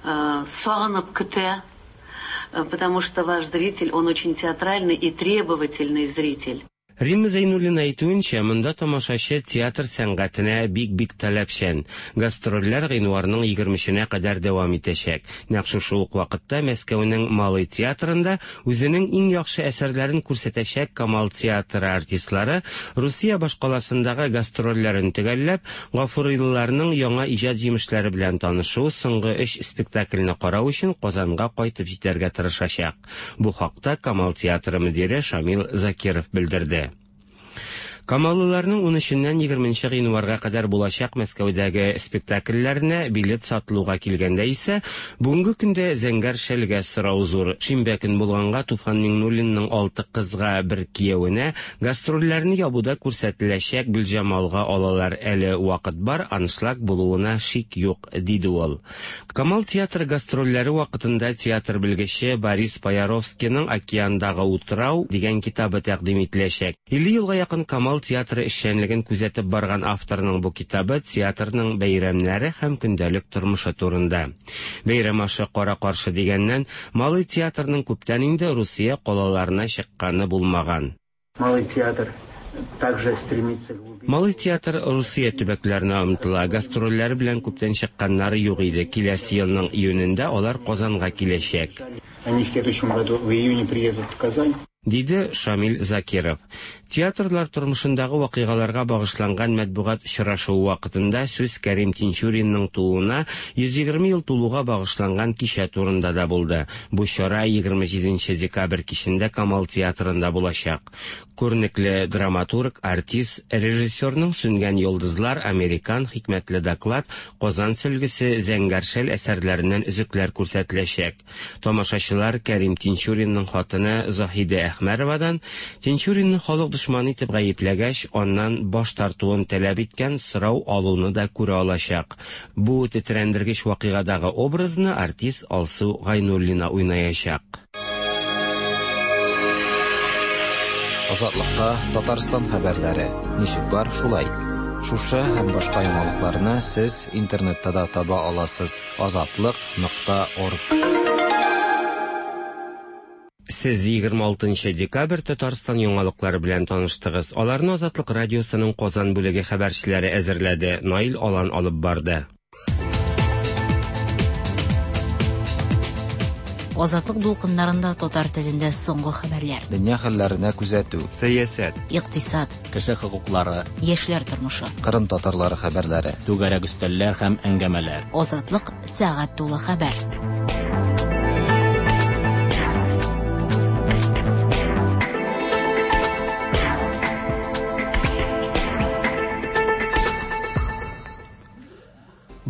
сагынып көтә, потому что ваш зритель, он очень театральный и требовательный зритель. Римма Зәйнуллина әйтүенчә, монда тамашачы театр сәнгатенә бик-бик таләпчән. Гастрольләр гыйнварның егермешенә кадәр дәвам итәчәк. Нәкъ шушы ук вакытта Мәскәүнең Малый театрында үзенең иң яхшы әсәрләрен күрсәтәчәк Камал театры артистлары Русия башкаласындагы гастрольләрен төгәлләп, гафурилыларның яңа иҗат җимешләре белән танышу, соңгы өч спектакльне карау өчен Казанга кайтып җитәргә тырышачак. Бу хакта Камал театры мөдире Шамил Закиров белдерде. Камаллыларның ун өченнән егерменче гыйнварга кадәр булачак Мәскәүдәге спектакльләренә билет сатылуга килгәндә исә, бүгенге көндә Зәңгәр шәлгә сорау зур. Шимбә көн булганга Туфан Миңнуллинның алты кызга бер кияүенә гастрольләрне ябуда күрсәтеләчәк Гөлҗамалга алалар. Әле вакыт бар, аншлаг булуына шик юк, диде ул. Камал театры гастрольләре вакытында театр белгече Борис Паяровскийның Океандагы утрау дигән китабы тәкъдим ителәчәк. Илле елга якын Камал театры эшчәнлеген күзәтеп барган авторның бу китабы театрның бәйрәмнәре һәм көндәлек тормышы турында. Бәйрәм ашы кара-каршы дигәннән, Малый театрның күптән инде Русия калаларына чыкканы булмаган. Малый театр Также стремится. Малый театр Русия төбәкләренә омтыла. Гастрольләр белән күптән чыкканнары юк иде. Киләсе елның июнендә алар Казанга киләчәк. Они в следующем году в июне приедут в Казань. Диде Шамил Закиров. Театрлар тормышындагы вакыйгаларга багышланган матбугат очрашуы вакытында сүз Кәрим Тинчуринның тууына йөз егерме ел тулуга багышланган кичә турында да булды. Бу чара егерме җиденче декабрь кичендә Камал театрында булачак. Күренекле драматург, артист, режиссерның Сүнгән йолдызлар, Американ, Хикмәтле доклад, Казан сөлгесе, Зәңгәр шәл әсәрләреннән өзекләр күрсәтеләчәк. Тамашачылар Кәрим Тинчуринның хатыны Заһидә Әхмәровадан Тинчуринны халык дошманы итеп гаепләгәч, аннан баш тартуын таләп иткән сорау алуны да күрә алачак. Бу тетрәндергеч вакыйгадагы образны артист Алсу Гайнуллина уйнаячак. Азатлыкта Татарстан хәбәрләре. Ничек бар, шулай. Шушы һәм башка яңалыкларны сез интернетта да таба аласыз. Азатлык нокта орг. Сез егерме алтынчы декабрь Татарстан яңалыклары белән таныштыгыз. Аларны Азатлык радиосының Казан бүлеге хәбәрчеләре әзерләде. Наил Алан алып барды. Азатлык дулкыннарында татар телендә соңгы хәбәрләр. Дөнья хәлләренә күзәтү, сәясәт, икътисад, кеше хокуклары, яшьләр тормышы, Кырым татарлары хәбәрләре, түгәрәк өстәлләр һәм әңгәмәләр. Азатлык сәгать тулы хәбәр.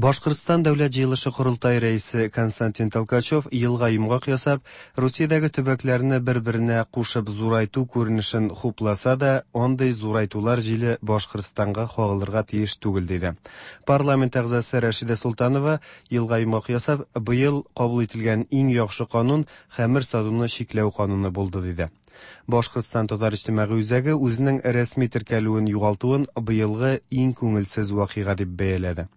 Башкортстан дәүләт җыелышы корылтай рәисе Константин Толкачев елга йомгак ясап, Русиядәге төбәкләрне бер-беренә кушып зурайту күренешен хупласа да, андый зурайтулар җиле Башкортстанга кагылырга тиеш түгел диде. Парламент әгъзасы Рәшидә Солтанова елга йомгак ясап, быел кабул ителгән иң яхшы канун хәмер сатуны чикләү кануны булды диде. Башкортстан татар иҗтимагый үзәге үзенең рәсми теркәлүен югалтуын быелгы иң күңелсез вакыйга дип бәяләде.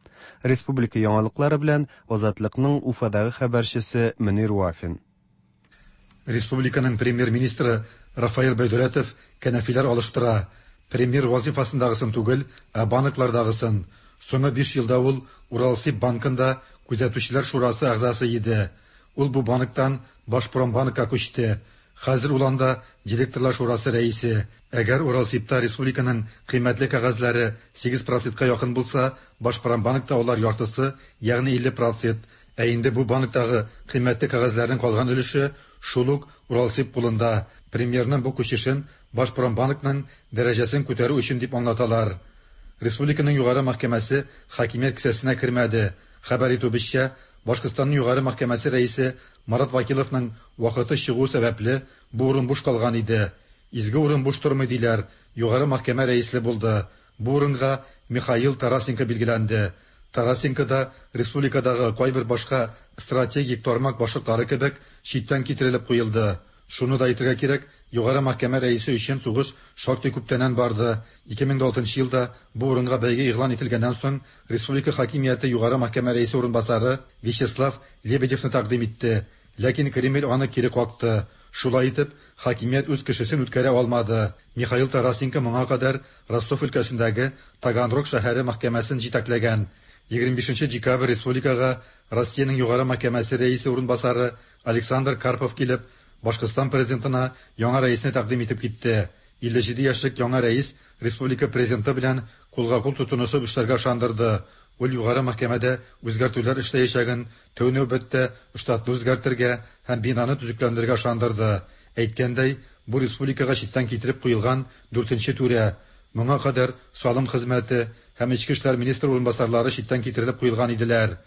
Республика яңалыклары белән Азатлыкның Уфадагы хәбәрчесе Мөнир Вафин. Республиканың премьер-министры Рафаэль Байдулетов кәнәфиләр алыштыра. Премьер вазифасындагысын түгел, ә банклардагысын. Соңгы биш елда ул Уралсиб банкында күзәтүчеләр шурасы әгъзасы иде. Ул бу банктан Башпромбанкка күчте. Хәзер ул анда директорлар шурасы рәисе. Әгәр Уралсибта республиканың кыйммәтле кәгазьләре сигез процентка якын булса, Башпромбанкта алар яртысы, ягъни илле процент. Ә инде бу банктагы кыйммәтле кәгазьләрнең калган өлеше шул ук Уралсиб кулында. Премьерның бу күчешен Башпромбанкның дәрәҗәсен күтәрү өчен дип аңлаталар. Республиканың югары мәхкәмәсе хакимият кесәсенә кермәде. Хәбәр итүебезчә, Башкортстанның югары мәхкәмәсе рәисе Марат Вакиловның вакыты чыгу сәбәпле бу урын буш калган иде. Изге урын буш тормый диләр. Югары мәхкәмә рәисле булды. Бу урынга Михаил Тарасенко билгеләнде. Тарасенко да республикадагы кайбер башка стратегик тармак башлыклары кебек читтән китерелеп куелды. Шуны да әйтергә кирәк, югары мәхкәмә рәисе өчен сугыш шактый күптәннән барды. ике мең алтынчы елда бу урынга бәйге игълан ителгәннән соң республика хакимияте югары мәхкәмә рәисе урынбасары Вячеслав Лебедевны тәкъдим итте. Ләкин Кремль аны кире какты. Шулай итеп, хакимият үз кешесен үткәрә алмады. Михаил Тарасенко моңа кадәр Ростов өлкәсендәге Таганрог шәһәре мәхкәмәсен җитәкләгән. егерме бишенче декабрь республикага Россиянең югары мәхкәмәсе рәисе урынбасары Александр Карпов килеп, Башкортстан президентына яңа рәисне тәкъдим итеп китте. илле җиде яшьлек яңа рәис республика президенты белән кулга-кул тотынышып эшләргә ышандырды. Ул югары мәхкәмәдә үзгәртүләр эшләячәген, тәү нәүбәттә штатны үзгәртергә һәм бинаны төзекләндерергә ышандырды. Әйткәндәй, бу республикага читтән китереп куелган дүртенче түрә. Моңа кадәр салым хезмәте һәм эчке эшләр министры урынбасарлары читтән китерелеп куелган иделәр.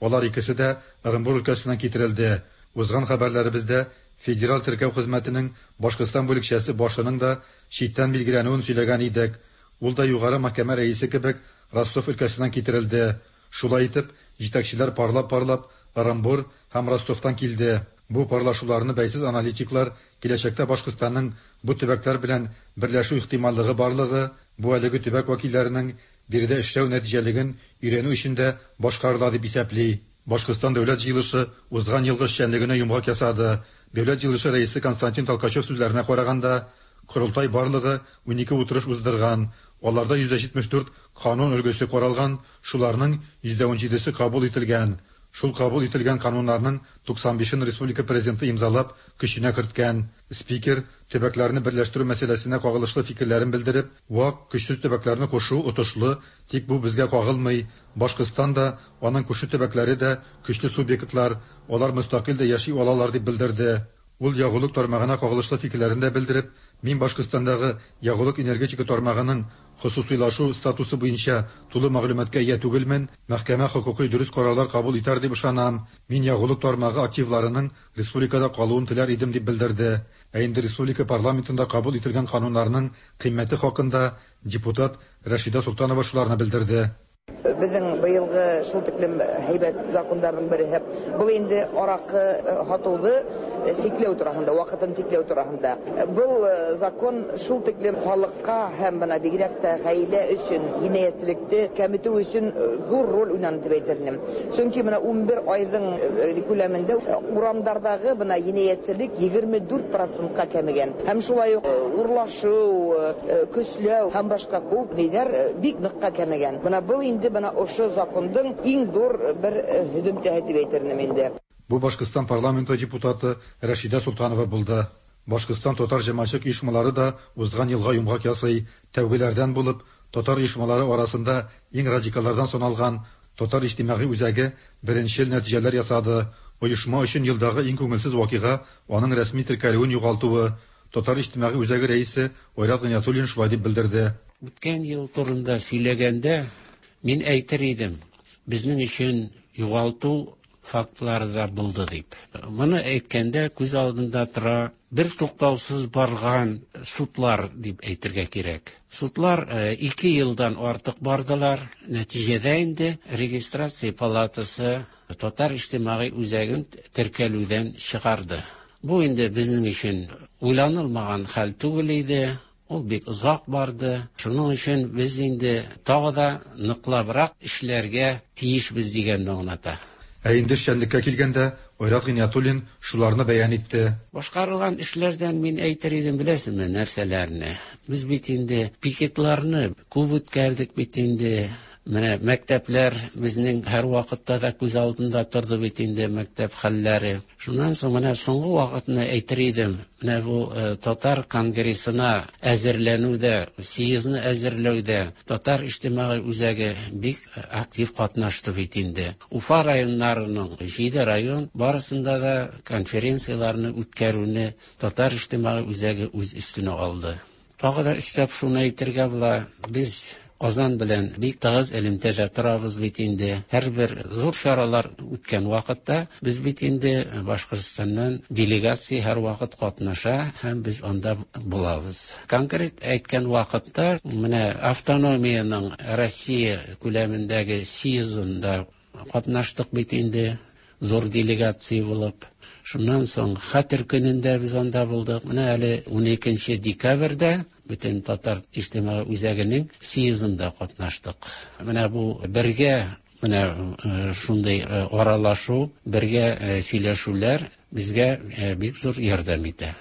Алар икесе дә Ырынбур өлкәсеннән китерелде. Узган хәбәрләребездә Федераль теркәү хезмәтенең Башкортстан бүлекчәсе башының да читтән билгеләнүен сөйләгән идек. Ул да югары мәхкәмә рәисе кебек Ростов өлкәсеннән китерелде. Шулай итеп, җитәкчеләр парлап-парлап Ырынбур һәм Ростовтан килде. Бу парлашуларны бәйсез аналитиклар киләчәктә Башкортстанның бу төбәкләр белән берләшү ихтималлыгы барлыгы, бу әлеге төбәк вәкилләренең биредә эшләү нәтиҗәлеген өйрәнү өчен дә башкарыла дип исәпли. Башкортстан дәүләт җыелышы узган елгы эшчәнлегенә йомгак ясады. Дәүләт җыелышы рәисе Константин Толкачев сүзләренә караганда, Корылтай барлыгы унике утырыш уздырган. Аларда йөз дә җитмеш дүрт канун өлгесе каралган, шуларның йөз дә унҗидесе кабул ителгән. Шул кабул ителгән кануннарның туксан бишен республика президенты имзалап, көченә керткән. Спикер төбәкләрне берләштерү мәсьәләсенә кагылышлы фикерләрен белдереп, вак көчсез төбәкләрне кушу отышлы, тик бу безгә кагылмый. Башкортстан да, аның күрше төбәкләре дә көчле субъектлар, алар мөстәкыйль дә яши алалар дип белдерде. Ул ягулык тармагына кагылышлы фикерләрен дә белдереп, мин Башкортстандагы ягулык энергетика тармагының хосусыйлашу статусы буенча тулы мәгълүматка ия түгелмен, мәхкәмә хокукый дөрес карарлар кабул итәр дип ышанам. Мин ягулык тармагы активларының республикада калуын теләр идем дип белдерде. Ә инде республика парламентында кабул ителгән кануннарның кыйммәте хакында депутат Рәшидә Солтанова шуларны белдерде. Безнең быелгы шул тиклем һәйбәт законнарның береһе. Был инде аракы һатуны сикләү турасында, вакытын сикләү турасында. Был закон шул тиклем халыкка һәм бына бигрәк тә гаилә өчен, җинаятьчелекне кәметү өчен зур роль уйнады дип әйтер идем. Чөнки менә унбер айның күләмендә урамдардагы бына җинаятьчелек егерме дүрт процентка кәмегән. Һәм шулай ук урлашу, көчләү һәм башка күп ниләр бик ныкка кәмегән. Бына был инде бына ошо закондың иң зур бер һөҙөмтәһе дип әйтер идем инде. Бу Башкортстан парламенты депутаты Рәшидә Солтанова булды. Башкортстан татар җәмәгатьчелек оешмалары да узган елга йомгак ясый. Тәүгеләрдән булып, татар оешмалары арасында иң радикаллардан саналган Татар иҗтимагый үзәге беренчел нәтиҗәләр ясады. Оешма өчен елдагы иң күңелсез вакыйга аның рәсми теркәлүен югалтуы. Татар иҗтимагый үзәге рәисе Айрат Гыйниятуллин шулай дип белдерде. Үткән ел турында сөйләгәндә мин әйтер идем, безнең өчен югалту фактлары да булды дип. Моны әйткәндә күз алдында тора бер туктаусыз барган судлар дип әйтергә кирәк. Судлар ике елдан артык бардылар. Нәтиҗәдә инде регистрация палатасы Татар иҗтимагый үзәген теркәлүдән чыгарды. Бу инде безнең өчен уйланылмаган хәл түгел иде. Ул бик озак барды. Шуның өчен без инде тагы да ныклабрак эшләргә тиешбез дигәнне аңлата. Ә инде эшчәнлеккә килгәндә, Айрат Гыйниятуллин шуларны бәян итте. Башкарылган эшләрдән мин әйтер идем, беләсезме, нәрсәләрне? Без бит инде пикетларны күп үткәрдек бит инде. Менә мәктәпләр безнең һәр вакытта да күз алдында торды бит инде мәктәп хәлләре. Шуннан соң менә соңгы вакытны әйтер идем. Менә бу татар конгрессына әзерләнүдә, съездны әзерләүдә Татар иҗтимагый үзәге бик актив катнашты бит инде. Уфа районнарының җиде район барысында да конференцияләрне үткәрүне Татар иҗтимагый үзәге үз өстенә алды. Тагы да өстәп шуны әйтергә була, без Казан белән бик тыгыз элемтәдә торабыз бит инде. Һәрбер зур чаралар үткән вакытта без бит инде Башкортстаннан делегация һәр вакыт катнаша һәм без анда булабыз. Конкрет әйткән вакытта менә автономиянең Россия күләмендәге съездында катнаштык бит инде, зур делегация булып. Шуннан соң Хәтер көнендә без анда булдык. Менә әле уникенче декабрьдә бөтен Татар иҗтимагый үзәгенең съездында катнаштык. Менә бу бергә менә шундый аралашу, бергә сөйләшүләр безгә бик зур ярдәм итә.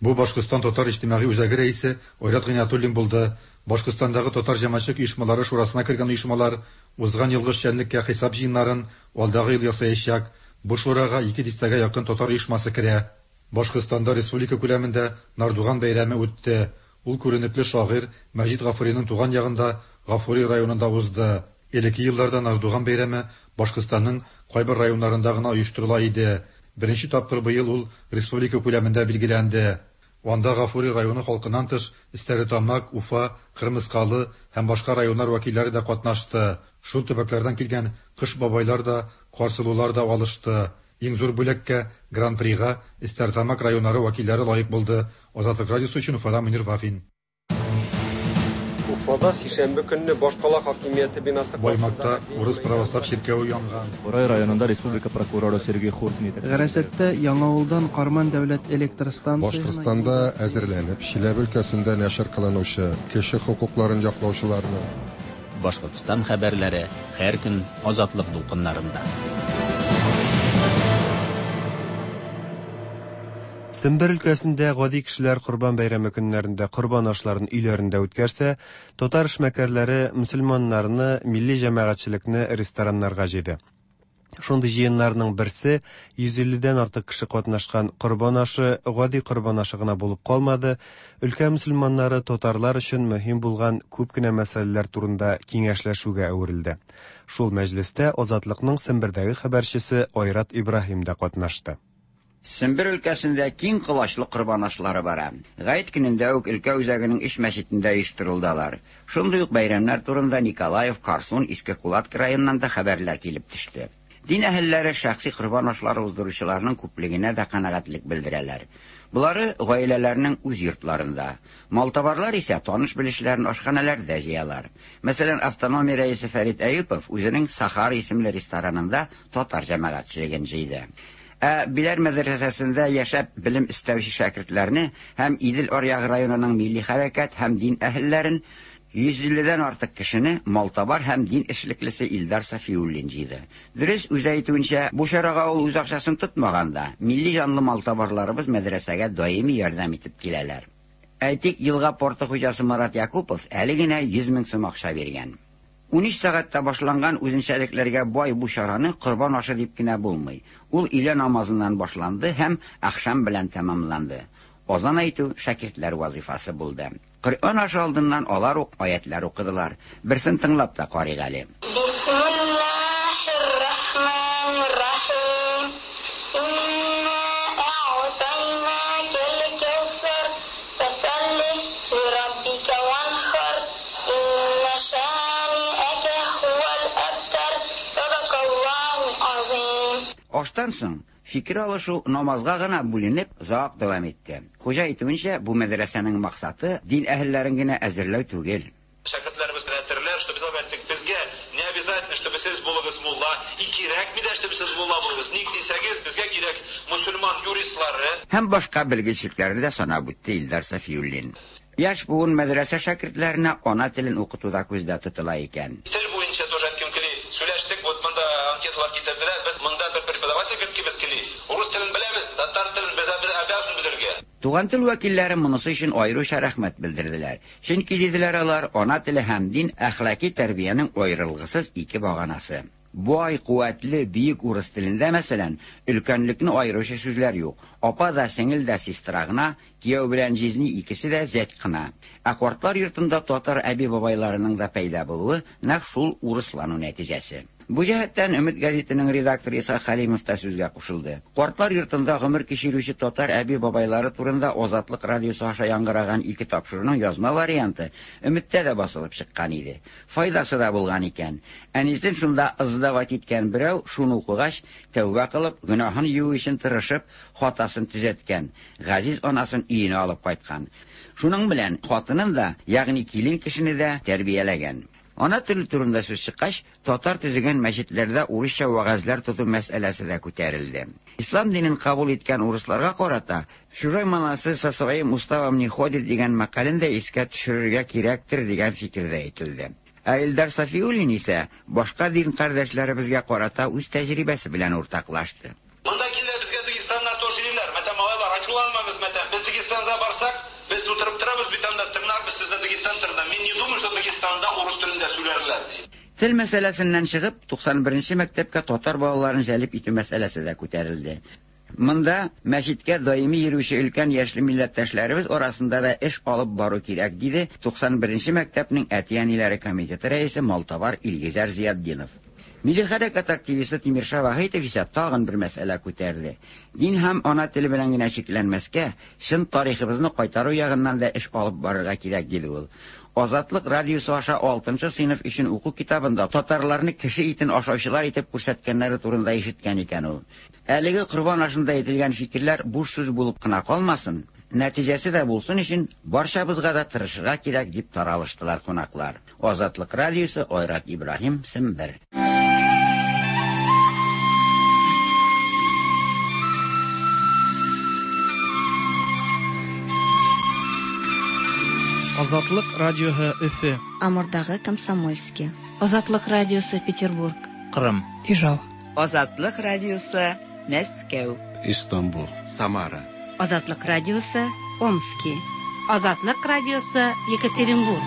Бу Башкортстан Татар иҗтимагый үзәге рәисе Айрат Гыйниятуллин булды. Башкортстандагы татар җәмәгатьчелек оешмалары шурасына кергән оешмалар узган елгы эшчәнлеккә хисап җыеннарын алдагы ел ясаячак. Бу шурага ике дистәгә якын татар оешмасы керә. Башкортстанда республика күләмендә Нардуган бәйрәме үтте. Ул күренекле шагыйрь Мәҗит Гафуриның туган ягында Гафури районында узды. Элекке елларда Нардуган бәйрәме Башкортстанның кайбер районнарында гына оештырыла иде. Беренче тапкыр быел ул республика күләмендә билгеләнде. Анда Гафури районы халкыннан тыш Стәрлетамак, Уфа, Кырмыскалы һәм башка районнар вәкилләре дә катнашты. Шул төбәкләрдән килгән кыш бабайлар да, карсылулар да алышты. Иң зур бүләккә, Гран-прига Стәрлетамак районнары вәкилләре лаек булды. Азатлык радиосы өчен Уфадан Мөнир Вафин. Уфада сишәмбе көнне башкала хакимияте бинасы Баймакта урыс православ чиркәве янган. Бурай районында республика прокуроры Сергей Хуртин. Гарәсәттә Яңавылдан Карман дәүләт электр станциясенә Башкортстанда әзерләнеп, Чиләбе өлкәсендә нәшер кылынучы кеше хокукларын яклаучыларны Башкортстан хәбәрләре һәр көн Азатлык дулкыннарында. Сембер өлкәсендә гади кешеләр Корбан бәйрәме көннәрендә корбан ашларын өйләрендә үткәрсә, татар эшмәкәрләре мөселманнарны, милли җәмәгатьчелекне рестораннарга җыйды. Шундый җыеннарның берсе йөз илледән артык кеше катнашкан корбан ашы гади корбан ашы гына булып калмады, өлкә мөселманнары татарлар өчен мөһим булган күп кенә мәсьәләләр турында киңәшләшүгә әверелде. Шул мәҗлестә Азатлыкның Сембердәге хәбәрчесе Айрат Ибраһим да катнашты. Сембер өлкәсендә киң колачлы корбан ашлары бара. Гает көнендә үк өлкә үзәгенең өч мәчетендә оештырылды алар. Шундый ук бәйрәмнәр турында Николаев, Карсун, Иске Кулатка районыннан да хәбәрләр килеп төште. Дин әһелләре шәхси корбан ашлары уздыручыларның күплегенә дә канәгатьлек белдерәләр. Болары гаиләләрнең үз йортларында. Малтабарлар исә таныш-белешләрен ашханәләрдә җыялар. Мәсәлән, автономия рәисе Фәрит Әюпов үзенең Сахар исемле ресторанында татар җәмәгатьчелеген җыйды. Ә Биләр мәдрәсәсендә яшәп белем эстәүче шәкертләрне һәм Идел аръягы районының милли хәрәкәт һәм дин әһелләрен йөз илледән артык кешене малтабар һәм дин эшлеклесе Илдар Сафиуллин җыйды. Дөрес, үзе әйтүенчә, бу чарага ул үз акчасын тотмаган да, милли җанлы малтабарларыбыз мәдрәсәгә даими ярдәм итеп киләләр. Әйтик, елга порты хуҗасы Марат Якупов әле генә йөз мең сум акча биргән. Унөч сәгатьтә башланган үзенчәлекләргә бай бу чараны корбан ашы дип кенә булмый. Ул өйлә намазыннан башланды һәм ахшам белән тәмамланды. Азан әйтү шәкертләр вазифасы булды. Коръән ашы алдыннан алар ук аятлар укыдылар. Берсен тыңлап та карыйк әле. Бисмиллаһир-рахманир-рахим. Инна а'тайнакал кавсар, фасалли лираббика ванхар, инна шани'ака хувал абтар. Садакаллаху азим. Аштан соң фикер алышу намазга гына бүленеп озак дәвам итте. Хуҗа әйтүенчә, бу мәдрәсәнең максаты дин әһелләрен генә әзерләү түгел. Шәкертләребез белән әйтерләр, что без әйттек, безгә не обязательно, чтобы сез булыгыз мулла, и кирәкми дә, чтобы сез мулла булыгыз. Ник дисәгез, безгә кирәк мусульман юристлары. Һәм башка белгечлекләрне дә санап үтте Илдар Сафиуллин. Яшь буын мәдрәсә шәкертләренә ана телен укытуда күздә тотыла икән. Тел буенча тоже әйткем кили, сөйләштек, вот монда анкеталар китерделәр, без монда бер преподаватель керткебез кили. Урыс телен беләбез, татар телен без обязан белергә. Туган тел вәкилләре монысы өчен аеруча рәхмәт белдерделәр. Чөнки диделәр алар, ана теле һәм дин әхлаки тәрбиянең аерылгысыз ике баганасы. Бай, куәтле, бөек урыс телендә, мәсәлән, өлкәнлекне аеручы сүзләр юк. Апа да, сеңел дә сестра гына, кияү белән җизни икесе дә зәт кына. Ә картлар йортында татар әби-бабайларының да пәйда булуы нәкъ шул урыслану нәтиҗәсе. Бу җәһәттән Өмет гәзитенең редакторы Иса Хәлимов та сүзгә кушылды. Картлар йортында гомер кичерүче татар әби-бабайлары турында Азатлык радиосы аша яңгыраган ике тапшыруның язма варианты Өметтә дә басылып чыккан иде. Файдасы да булган икән. Әнисен шунда ыздават иткән берәү шуны укыгач, тәүбә кылып, гөнаһын юу өчен тырышып, хатасын төзәткән, газиз анасын өенә алып кайткан. Шуның белән хатынын да, ягъни килен кешене дә тәрбияләгән. Ана теле турында сүз чыккач, татар төзегән мәчетләрдә урысча вәгазьләр тоту мәсьәләсе дә күтәрелде. Ислам динен кабул иткән урысларга карата «Чужой монастырь со своим уставом не ходит» дигән мәкален дә искә төшерергә кирәктер дигән фикер дә әйтелде. Ә Илдар Сафиуллин исә башка дин кардәшләребезгә карата үз тәҗрибәсе белән уртаклашты. Монда килә безгә Дагестаннар тоже йөриләр. Мәтәм малайлар, ачуланмагыз, мәтәм. Без Дагестанга барсак, без утырып торабыз бит анда, тыңларбыз сезне Дагестан турында. Мин не думаю, что Дагестанда урыс телендә сөйләрләр ди. Тел мәсьәләсеннән чыгып, туксан беренче мәктәпкә татар балаларын җәлеп итү мәсьәләсе дә күтәрелде. Монда мәчеткә даими йөрүче өлкән яшьле милләттәшләребез арасында да эш алып бару кирәк, диде туксан беренче мәктәпнең әти-әниләре комитеты рәисе Малтабар Илгизәр Зиятдинов. Милли хәрәкәт активисты Тимирша Вахитов исә тагын бер мәсьәлә күтәрде. Дин һәм ана теле белән генә чикләнмәскә, чын тарихыбызны кайтару ягыннан да эш алып барырга кирәк, диде ул. Азатлык радиосы аша алтынчы сыйныф өчен уку китабында татарларны кеше итен ашаучылар итеп күрсәткәннәре турында ишеткән икән ул. Әлеге корбан ашында әйтелгән фикерләр буш сүз булып кына калмасын, нәтиҗәсе дә булсын өчен барчабызга да тырышырга кирәк, дип таралыштылар кунаклар. Азатлык радиосы, Айрат Ибраһим, Сембер. Азатлык радиоһы Өфе. Амурдагы Комсомольский. Азатлык радиосы Петербург. Кырым. Ижау. Азатлык радиосы Мәскәү. Истанбул. Самара. Азатлык радиосы, Омски. Азатлык радиосы, Екатеринбург.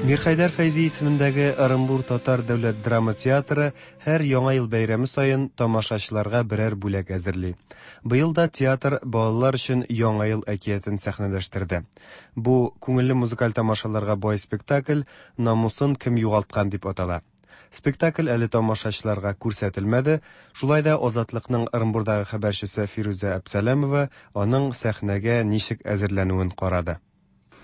Мирхәйдәр Фәйзи исемендәге Ырынбур татар дәүләт драма театры һәр Яңа ел бәйрәме саен тамашачыларга берәр бүләк әзерли. Быел да театр балалар өчен Яңа ел әкиятен сәхнәләштерде. Бу күңелле музыкаль тамашаларга бай спектакль «Намусын кем югалткан» дип атала. Спектакль әле тамашачыларга күрсәтелмәде, шулай да Азатлыкның Ырынбурдагы хәбәрчесе Фирүзә Әпсәләмова аның сәхнәгә ничек әзерләнүен карады.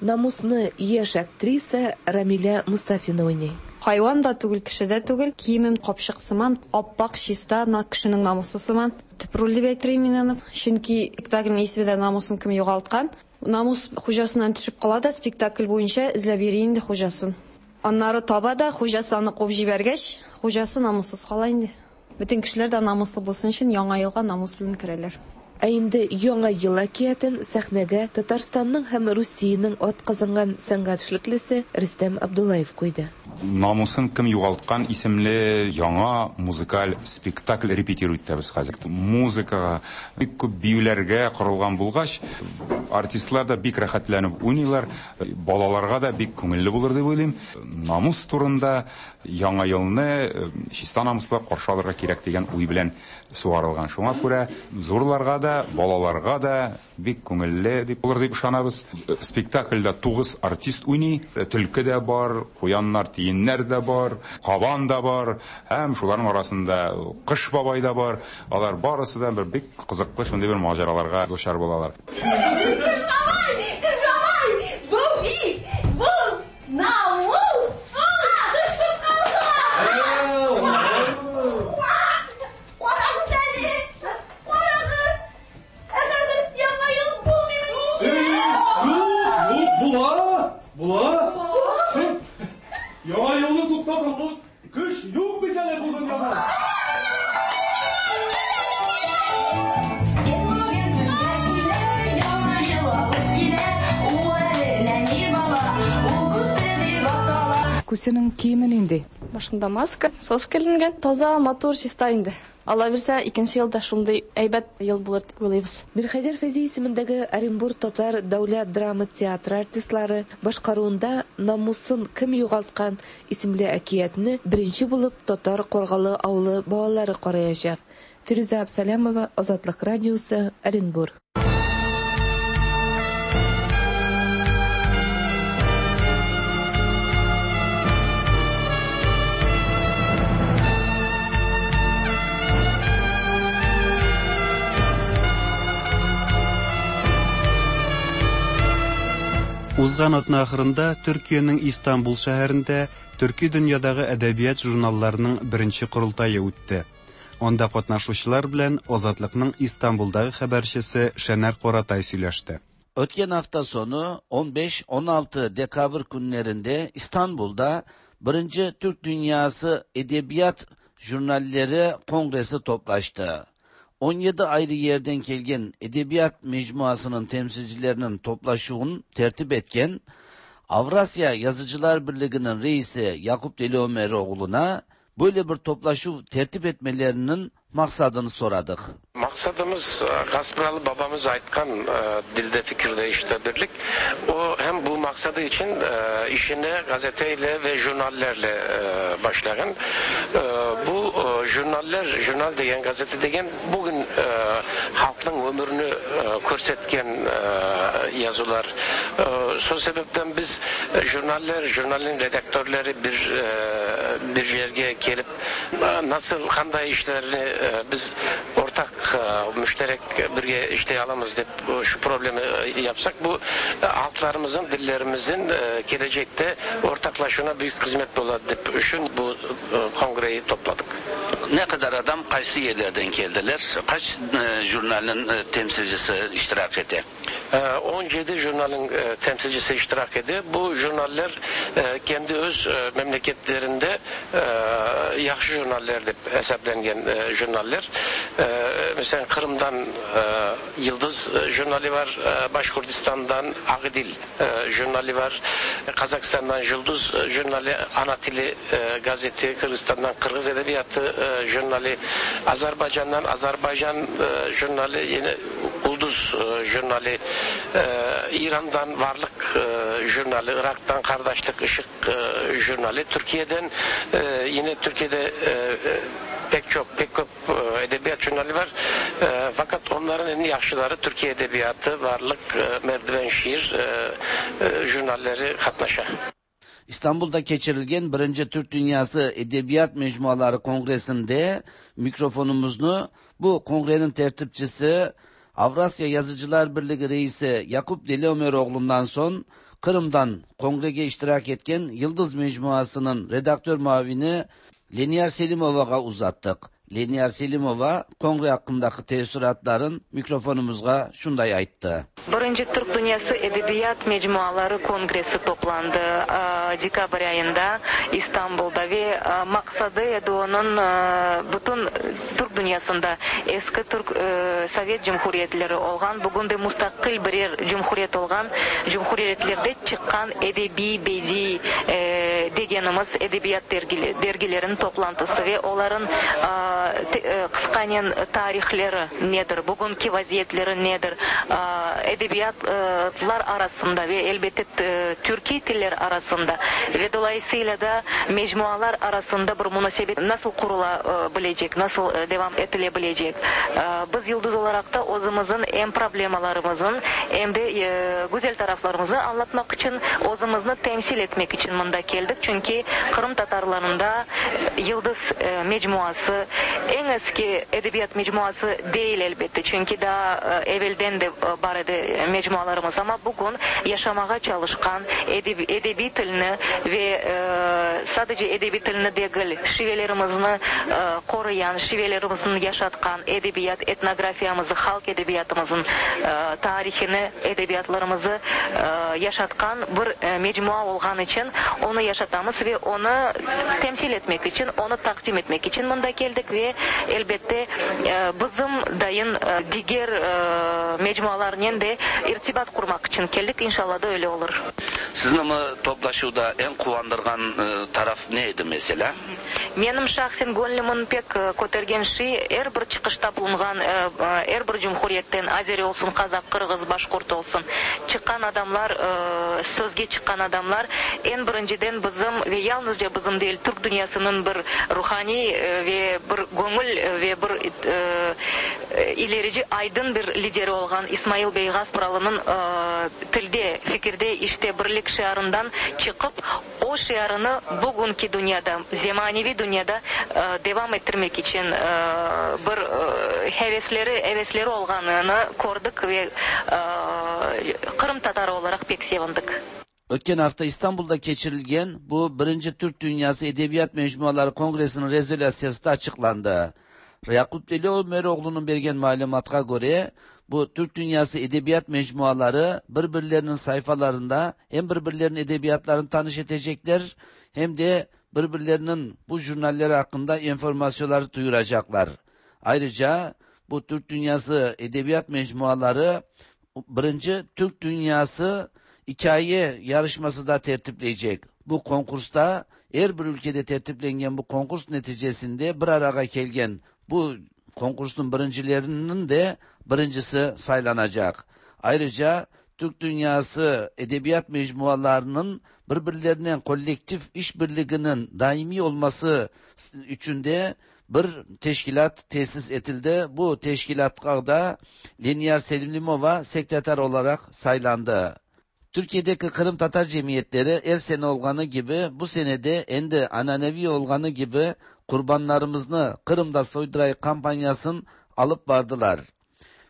Намусны яшь актриса Рамиля Мустафина уйный. Хайван да түгел, кеше дә түгел, киемем капчык сыман, аппак, чиста, на кешенең намусы сыман. Төп роль дип әйтер идем мин аны. Чөнки спектакльнең исеме дә намусын кем югалткан. Намус хуҗасыннан төшеп кала да, спектакль буенча эзләп йөри инде хуҗасын. Аннары таба да, хуҗасы аны куып җибәргәч, хуҗасы намуссыз кала инде. Бөтен кешеләр дә намуслы булсын өчен Яңа елга намус белән керәләр. Ә инде Яңа ел әкиятен сәхнәгә Татарстанның һәм Русиянең атказанган сәнгать эшлеклесе Рөстәм Абдуллаев куйды. Намусын кем югалткан исемле яңа музыкаль спектакль репетирует итәбез хәзер. Музыкага, бик күп биюләргә корылган булгач, артистлар да бик рәхәтләнеп уйныйлар, балаларга да бик күңелле булыр дип уйлыйм. Намус турында Яңа елны чиста намус белән каршы алырга кирәк дигән уй белән сугарылган. Шуңа күрә зурларга да, балаларга да бик күңелле дип булыр дип ышанабыз. Спектакльдә тугыз артист уйный, төлке дә бар, куяннар, тиеннәр дә бар, кабан да бар, һәм шуларның арасында Кыш бабай да бар. Алар барысы да бер бик кызыклы шундый бер маҗараларга дучар булалар. Кыш бабай, Кыш бабай, бу бит, бу намус. Төшеп калган. Карагыз әле, карагыз. Ә хәзер Яңа ел булмыймыни? Юк, юк, була, була. Син Яңа елны туктатырлык көч юк бит әле бу дөньяда. Күсенең киеме нинди? Башында маска, соска эленгән, таза, матур, чиста инде. Алла бирсә, икенче елда шундый әйбәт ел булыр дип уйлыйбыз. Мирхәйдәр Фәйзи исемендәге Оренбур татар дәүләт драма театры артистлары башкаруында «Намусын кем югалткан» исемле әкиятне беренче булып Татар Каргалы авылы балалары караячак. Фирүзә Әпсәләмова, Азатлык радиосы, Оренбур. Узган атна ахырында Төркиянең Истанбул шәһәрендә төрки дөньядагы әдәбият журналларының беренче корылтае үтте. Анда катнашучылар белән Азатлыкның Истанбулдагы хәбәрчесе Шәнәр Каратай сөйләште. Ötken hafta sonu on beş on altı Dekabr günlerinde İstanbul'da birinci Türk Dünyası Edebiyat Jurnalleri Kongresi toplaştı. on yedi ayrı yerden kelgen edebiyat mecmuasının temsilcilerinin toplaşığını tertip etken Avrasya Yazıcılar Birliği'nin reisi Yakup Deliömeroğlu'na böyle bir toplaşıv tertip etmelerinin maksadını soradık. Maksadımız Gaspıralı babamız aytkan dilde fikirde işte birlik. O hem bu maksadı için işine gazeteyle ve jurnallerle başlayan. Bu jurnaller, jurnal degen, gazete degen bugün halkın ömrünü körsetken yazılar. Sol sebepten biz jurnaller, jurnalin redaktörleri bir bir yerge gelip nasıl kanday işlerini biz ortak müşterek birge işley alamız dep şu problemi yapsak bu halklarımızın, dillerimizin gelecekte ortaklaşına büyük hizmet boladı dep üçün bu kongreyi topladık. Ne kadar adam qaysi yerlerden geldiler? Kaç jurnalin temsilcisi iştirak etti? on yedi jurnalin temsilcisi iştirak etti. Bu jurnaller kendi öz memleketlerinde yaxşı jurnaller dep hesaplangan jurnaller. Mesela Kırım'dan Yıldız jurnali var, Başkurdistan'dan Ağdil jurnali var, Kazakistan'dan Yıldız jurnali, Anatili gazeti, Kırgızistan'dan Kırgız Edebiyatı jurnali, Azerbaycan'dan Azerbaycan jurnali, yine Ulduz jurnali, İran'dan Varlık jurnali, Irak'tan Kardeşlik Işık jurnali, Türkiye'den yine Türkiye'de pek çok pek çok edebiyat jurnali var. E, fakat onların en yaşlıları Türkiye Edebiyatı, Varlık, e, Merdiven Şiir e, e, jurnalleri katnaşa. İstanbul'da keçirilgen birinci Türk Dünyası Edebiyat Mecmuaları Kongresi'nde mikrofonumuzu bu kongrenin tertipçisi Avrasya Yazıcılar Birliği Reisi Yakup Deliömeroğlu'ndan son Kırım'dan kongrege iştirak etken Yıldız Mecmuası'nın redaktör muavini Leniyar Selimova'ya uzattık. Leniyar Selimova kongre hakkındaki teessüratların mikrofonumuzga şunday ayttı. Birinci Türk Dünyası Edebiyat Mecmuaları Kongresi toplandı dekabr ayında İstanbul'da ve maksadı edi onun bütün Türk dünyasında eski Türk Sovet Cumhuriyetleri olgan, bugün de müstakil birer cumhuriyet olgan cumhuriyetlerde çıkan edebi, bedi degenimiz edebiyat dergilerin toplantısı ve onların kıskanen tarihleri nedir, bugünkü vaziyetleri nedir, edebiyatlar arasında ve elbette Türkiye diller arasında ve dolayısıyla da mecmualar arasında bir münasebet nasıl kurulabilecek, nasıl devam edilebilecek. Biz Yıldız olarak da özümüzün hem problemalarımızın hem de güzel taraflarımızı anlatmak için, özümüzü temsil etmek için bunda geldik. Çünkü Kırım Tatarlarında Yıldız mecmuası en eski edebiyat mecmuası değil elbette. Çünkü daha evvelden de var idi mecmualarımız ama bugün yaşamaya çalışkan edebi, edebi tilini ve e, sadece edebi tilini değil, şivelerimizni e, koruyan, şivelerimizni yaşatkan edebiyat, etnografiyamızı, halk edebiyatımızın e, tarihini, edebiyatlarımızı e, yaşatkan bir e, mecmua olğan için onu yaşatamız ve onu temsil etmek için, onu takdim etmek için bunda geldik ve elbette e, bizim dayın e, diğer e, mecmualarla de irtibat kurmak için geldik. İnşallah da öyle olur. Sizin ama toplaşuvda en quvandırğan e, taraf neydi mesela? Benim şahsen gönlümün pek kötergen şey, her bir çıkışta bulungan, her bir cumhuriyetten, Azeri olsun, Kazak, Kırgız, Başkurt olsun, çıkan adamlar, sözge çıkan adamlar, en birinciden bizim ve yalnızca bizim değil, Türk dünyasının bir ruhani ve bir gönül ve bir ilerici aydın bir lideri olan İsmail Bey Gaspıralı'nın tilde, fikirde, işte birlik şiarından çıkıp o şiarını bugünkü dünyada, zemanevi dünyada devam ettirmek için bir hevesleri, hevesleri olganını gördük ve Kırım Tatarı olarak pek sevindik. Ötken hafta İstanbul'da keçirilgen bu birinci Türk Dünyası Edebiyat Mecmuaları Kongresi'nin rezolüsyası da açıklandı. Yakup Deliömeroğlu'nun bergen malumatına göre bu Türk Dünyası Edebiyat Mecmuaları birbirlerinin sayfalarında hem birbirlerinin edebiyatlarını tanış edecekler hem de birbirlerinin bu jurnalleri hakkında informasyonları duyuracaklar. Ayrıca bu Türk Dünyası Edebiyat Mecmuaları birinci Türk Dünyası Hikaye yarışması da tertipleyecek. Bu konkursta her bir ülkede tertiplengen bu konkurs neticesinde bir araya gelgen bu konkursun birincilerinin de birincisi saylanacak. Ayrıca Türk Dünyası Edebiyat Mecmualarının birbirlerinin kolektif işbirliğinin daimi olması için de bir teşkilat tesis edildi. Bu teşkilatta da Leniyar Selimova sekreter olarak saylandı. Türkiye'deki Kırım Tatar cemiyetleri her sene olganı gibi bu senede endi ananevi olganı gibi kurbanlarımızı Kırım'da soyduray kampanyasını alıp vardılar.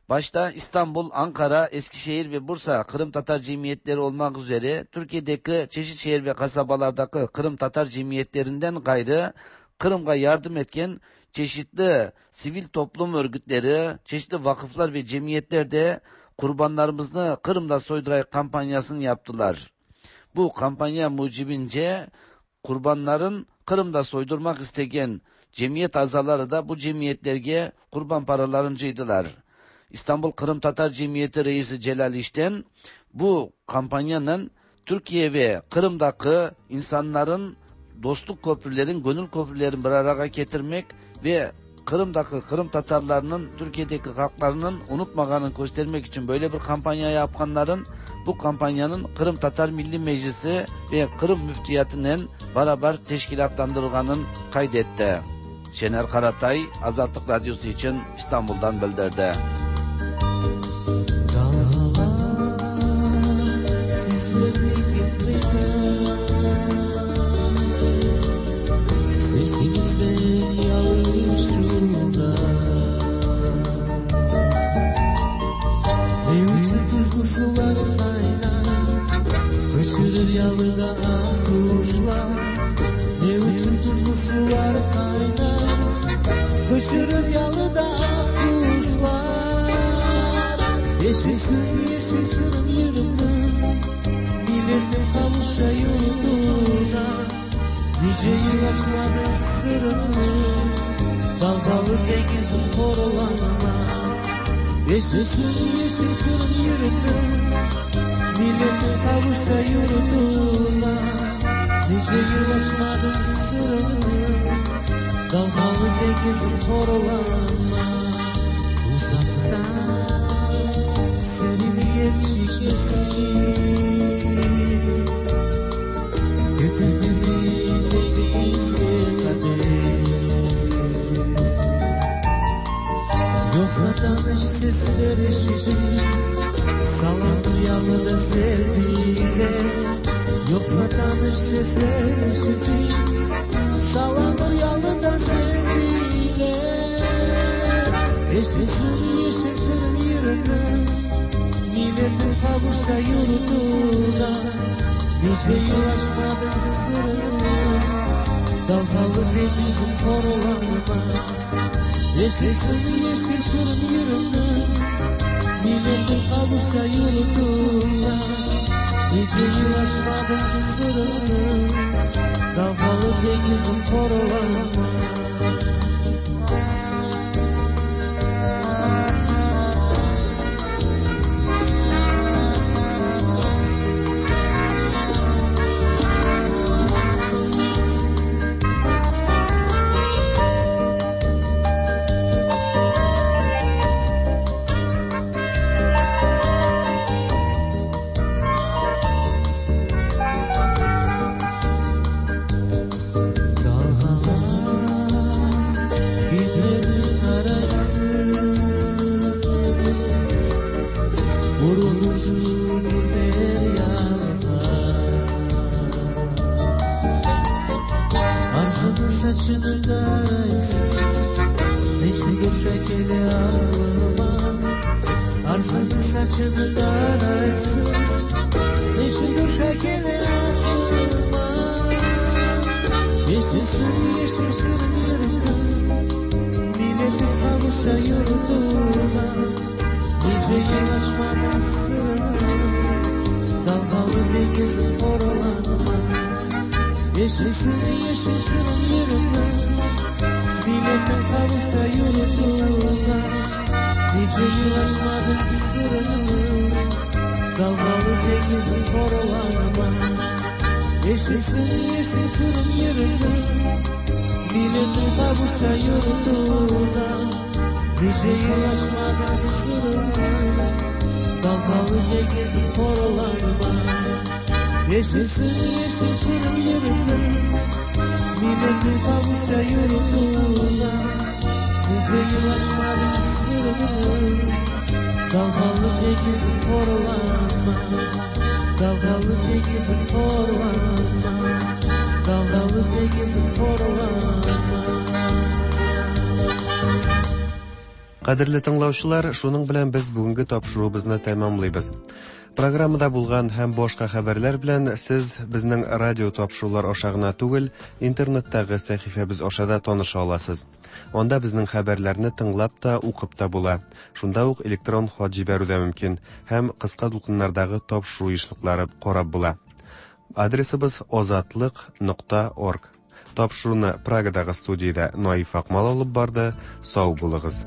Başta İstanbul, Ankara, Eskişehir ve Bursa Kırım Tatar cemiyetleri olmak üzere Türkiye'deki çeşit şehir ve kasabalardaki Kırım Tatar cemiyetlerinden gayrı Kırım'a yardım etken çeşitli sivil toplum örgütleri, çeşitli vakıflar ve cemiyetler de kurbanlarımızı Kırım'da soyduray kampanyasını yaptılar. Bu kampanya mucibince kurbanların Kırım'da soydurmak isteyen Cemiyet azaları da bu cemiyetlerge kurban paralarını cıydılar. İstanbul Kırım Tatar Cemiyeti Reisi Celal İşten bu kampanyanın Türkiye ve Kırım'daki insanların dostluk köprülerin, gönül köprülerin bir araya getirmek ve Kırım'daki Kırım Tatarlarının Türkiye'deki halklarının unutmağını göstermek için böyle bir kampanya yapanların bu kampanyanın Kırım Tatar Milli Meclisi ve Kırım Müftiyatının beraber teşkilatlandırıldığını kaydetti. Şener Karatay, Azatlık Radyosu için İstanbul'dan bildirdi. Sesinizden yağışında Ne uçur tuzlu sular kaynar, kaçırır yalıda ah kuşlar. Ne uçur tuzlu sular kaynar, kaçırır yalıda ah kuşlar. Yeşilsiz yeşil Kırım yırımı, milletim kavuşa yurduna. Nice yıl açmadın sırrını, dalgalı denizim horalanma. Yeşilsin yeşil Kırım yırını, milletin kavuşa yurduna. Nice yıl açmadın sırrını, dalgalı denizim horalanma. Uzaktan senin yerçik eski, götürdü beni deniz ve kader. Yoksa tanış sesler eşitir, sallanır yalıda selviler. Yoksa tanış sesler eşitir, sallanır yalıda selviler. Yeşilsin yeşil Kırım yerine, milletin kavuşa yurduna. Nice yıl açmadım sırrını, dalgalı denizim horalanma. Yeşilsin yeşil Kırım yerine, milletin kavuşa yurduna. Nice yıl açmadım sırrını, dalgalı denizim horalanma. Saçını taraysız, neçe görşəkeli ağlıma. Arzını saçını taraysız, neçe görşəkeli ağlıma. Yeşilsin yeşil Kırım yerine, milletim kavuşa yurduna. Nice yıl açmadım sırrını, dalgalı denizim horalanma. Yeşilsin yeşil Kırım yerine, milletin kavuşa yurduna. Nice yıl açmadım sırrını, dalgalı denizim horalanma. Yeşilsin yeşil Kırım yerine, milletin kavuşa yurduna. Nice yıl açmadım sırrını, dalgalı denizim horalanma. Yeşilsin yeşil Kırım yerine, milletin kavuşa yurduna. Nice yıl açmadım sırrını, dalgalı denizim horalanma. Dalgalı denizim horalanma, dalgalı denizim horalanma. Кадерле тыңлаучылар, шуның белән без бүгенге тапшыруыбызны тәмамлыйбыз. Программада булган һәм башка хәбәрләр белән сез безнең радио тапшырулар аша гына түгел, интернеттагы сәхифәбез аша да таныша аласыз. Анда безнең хәбәрләрне тыңлап та, укып та була. Шунда ук электрон хат җибәрү дә мөмкин һәм кыска дулкыннардагы тапшыру ешлыклары карап була. Адресыбыз озатлык нокта орг. Тапшыруны Прагадагы студиядә Наиф Акмал алып барды. Сау булыгыз.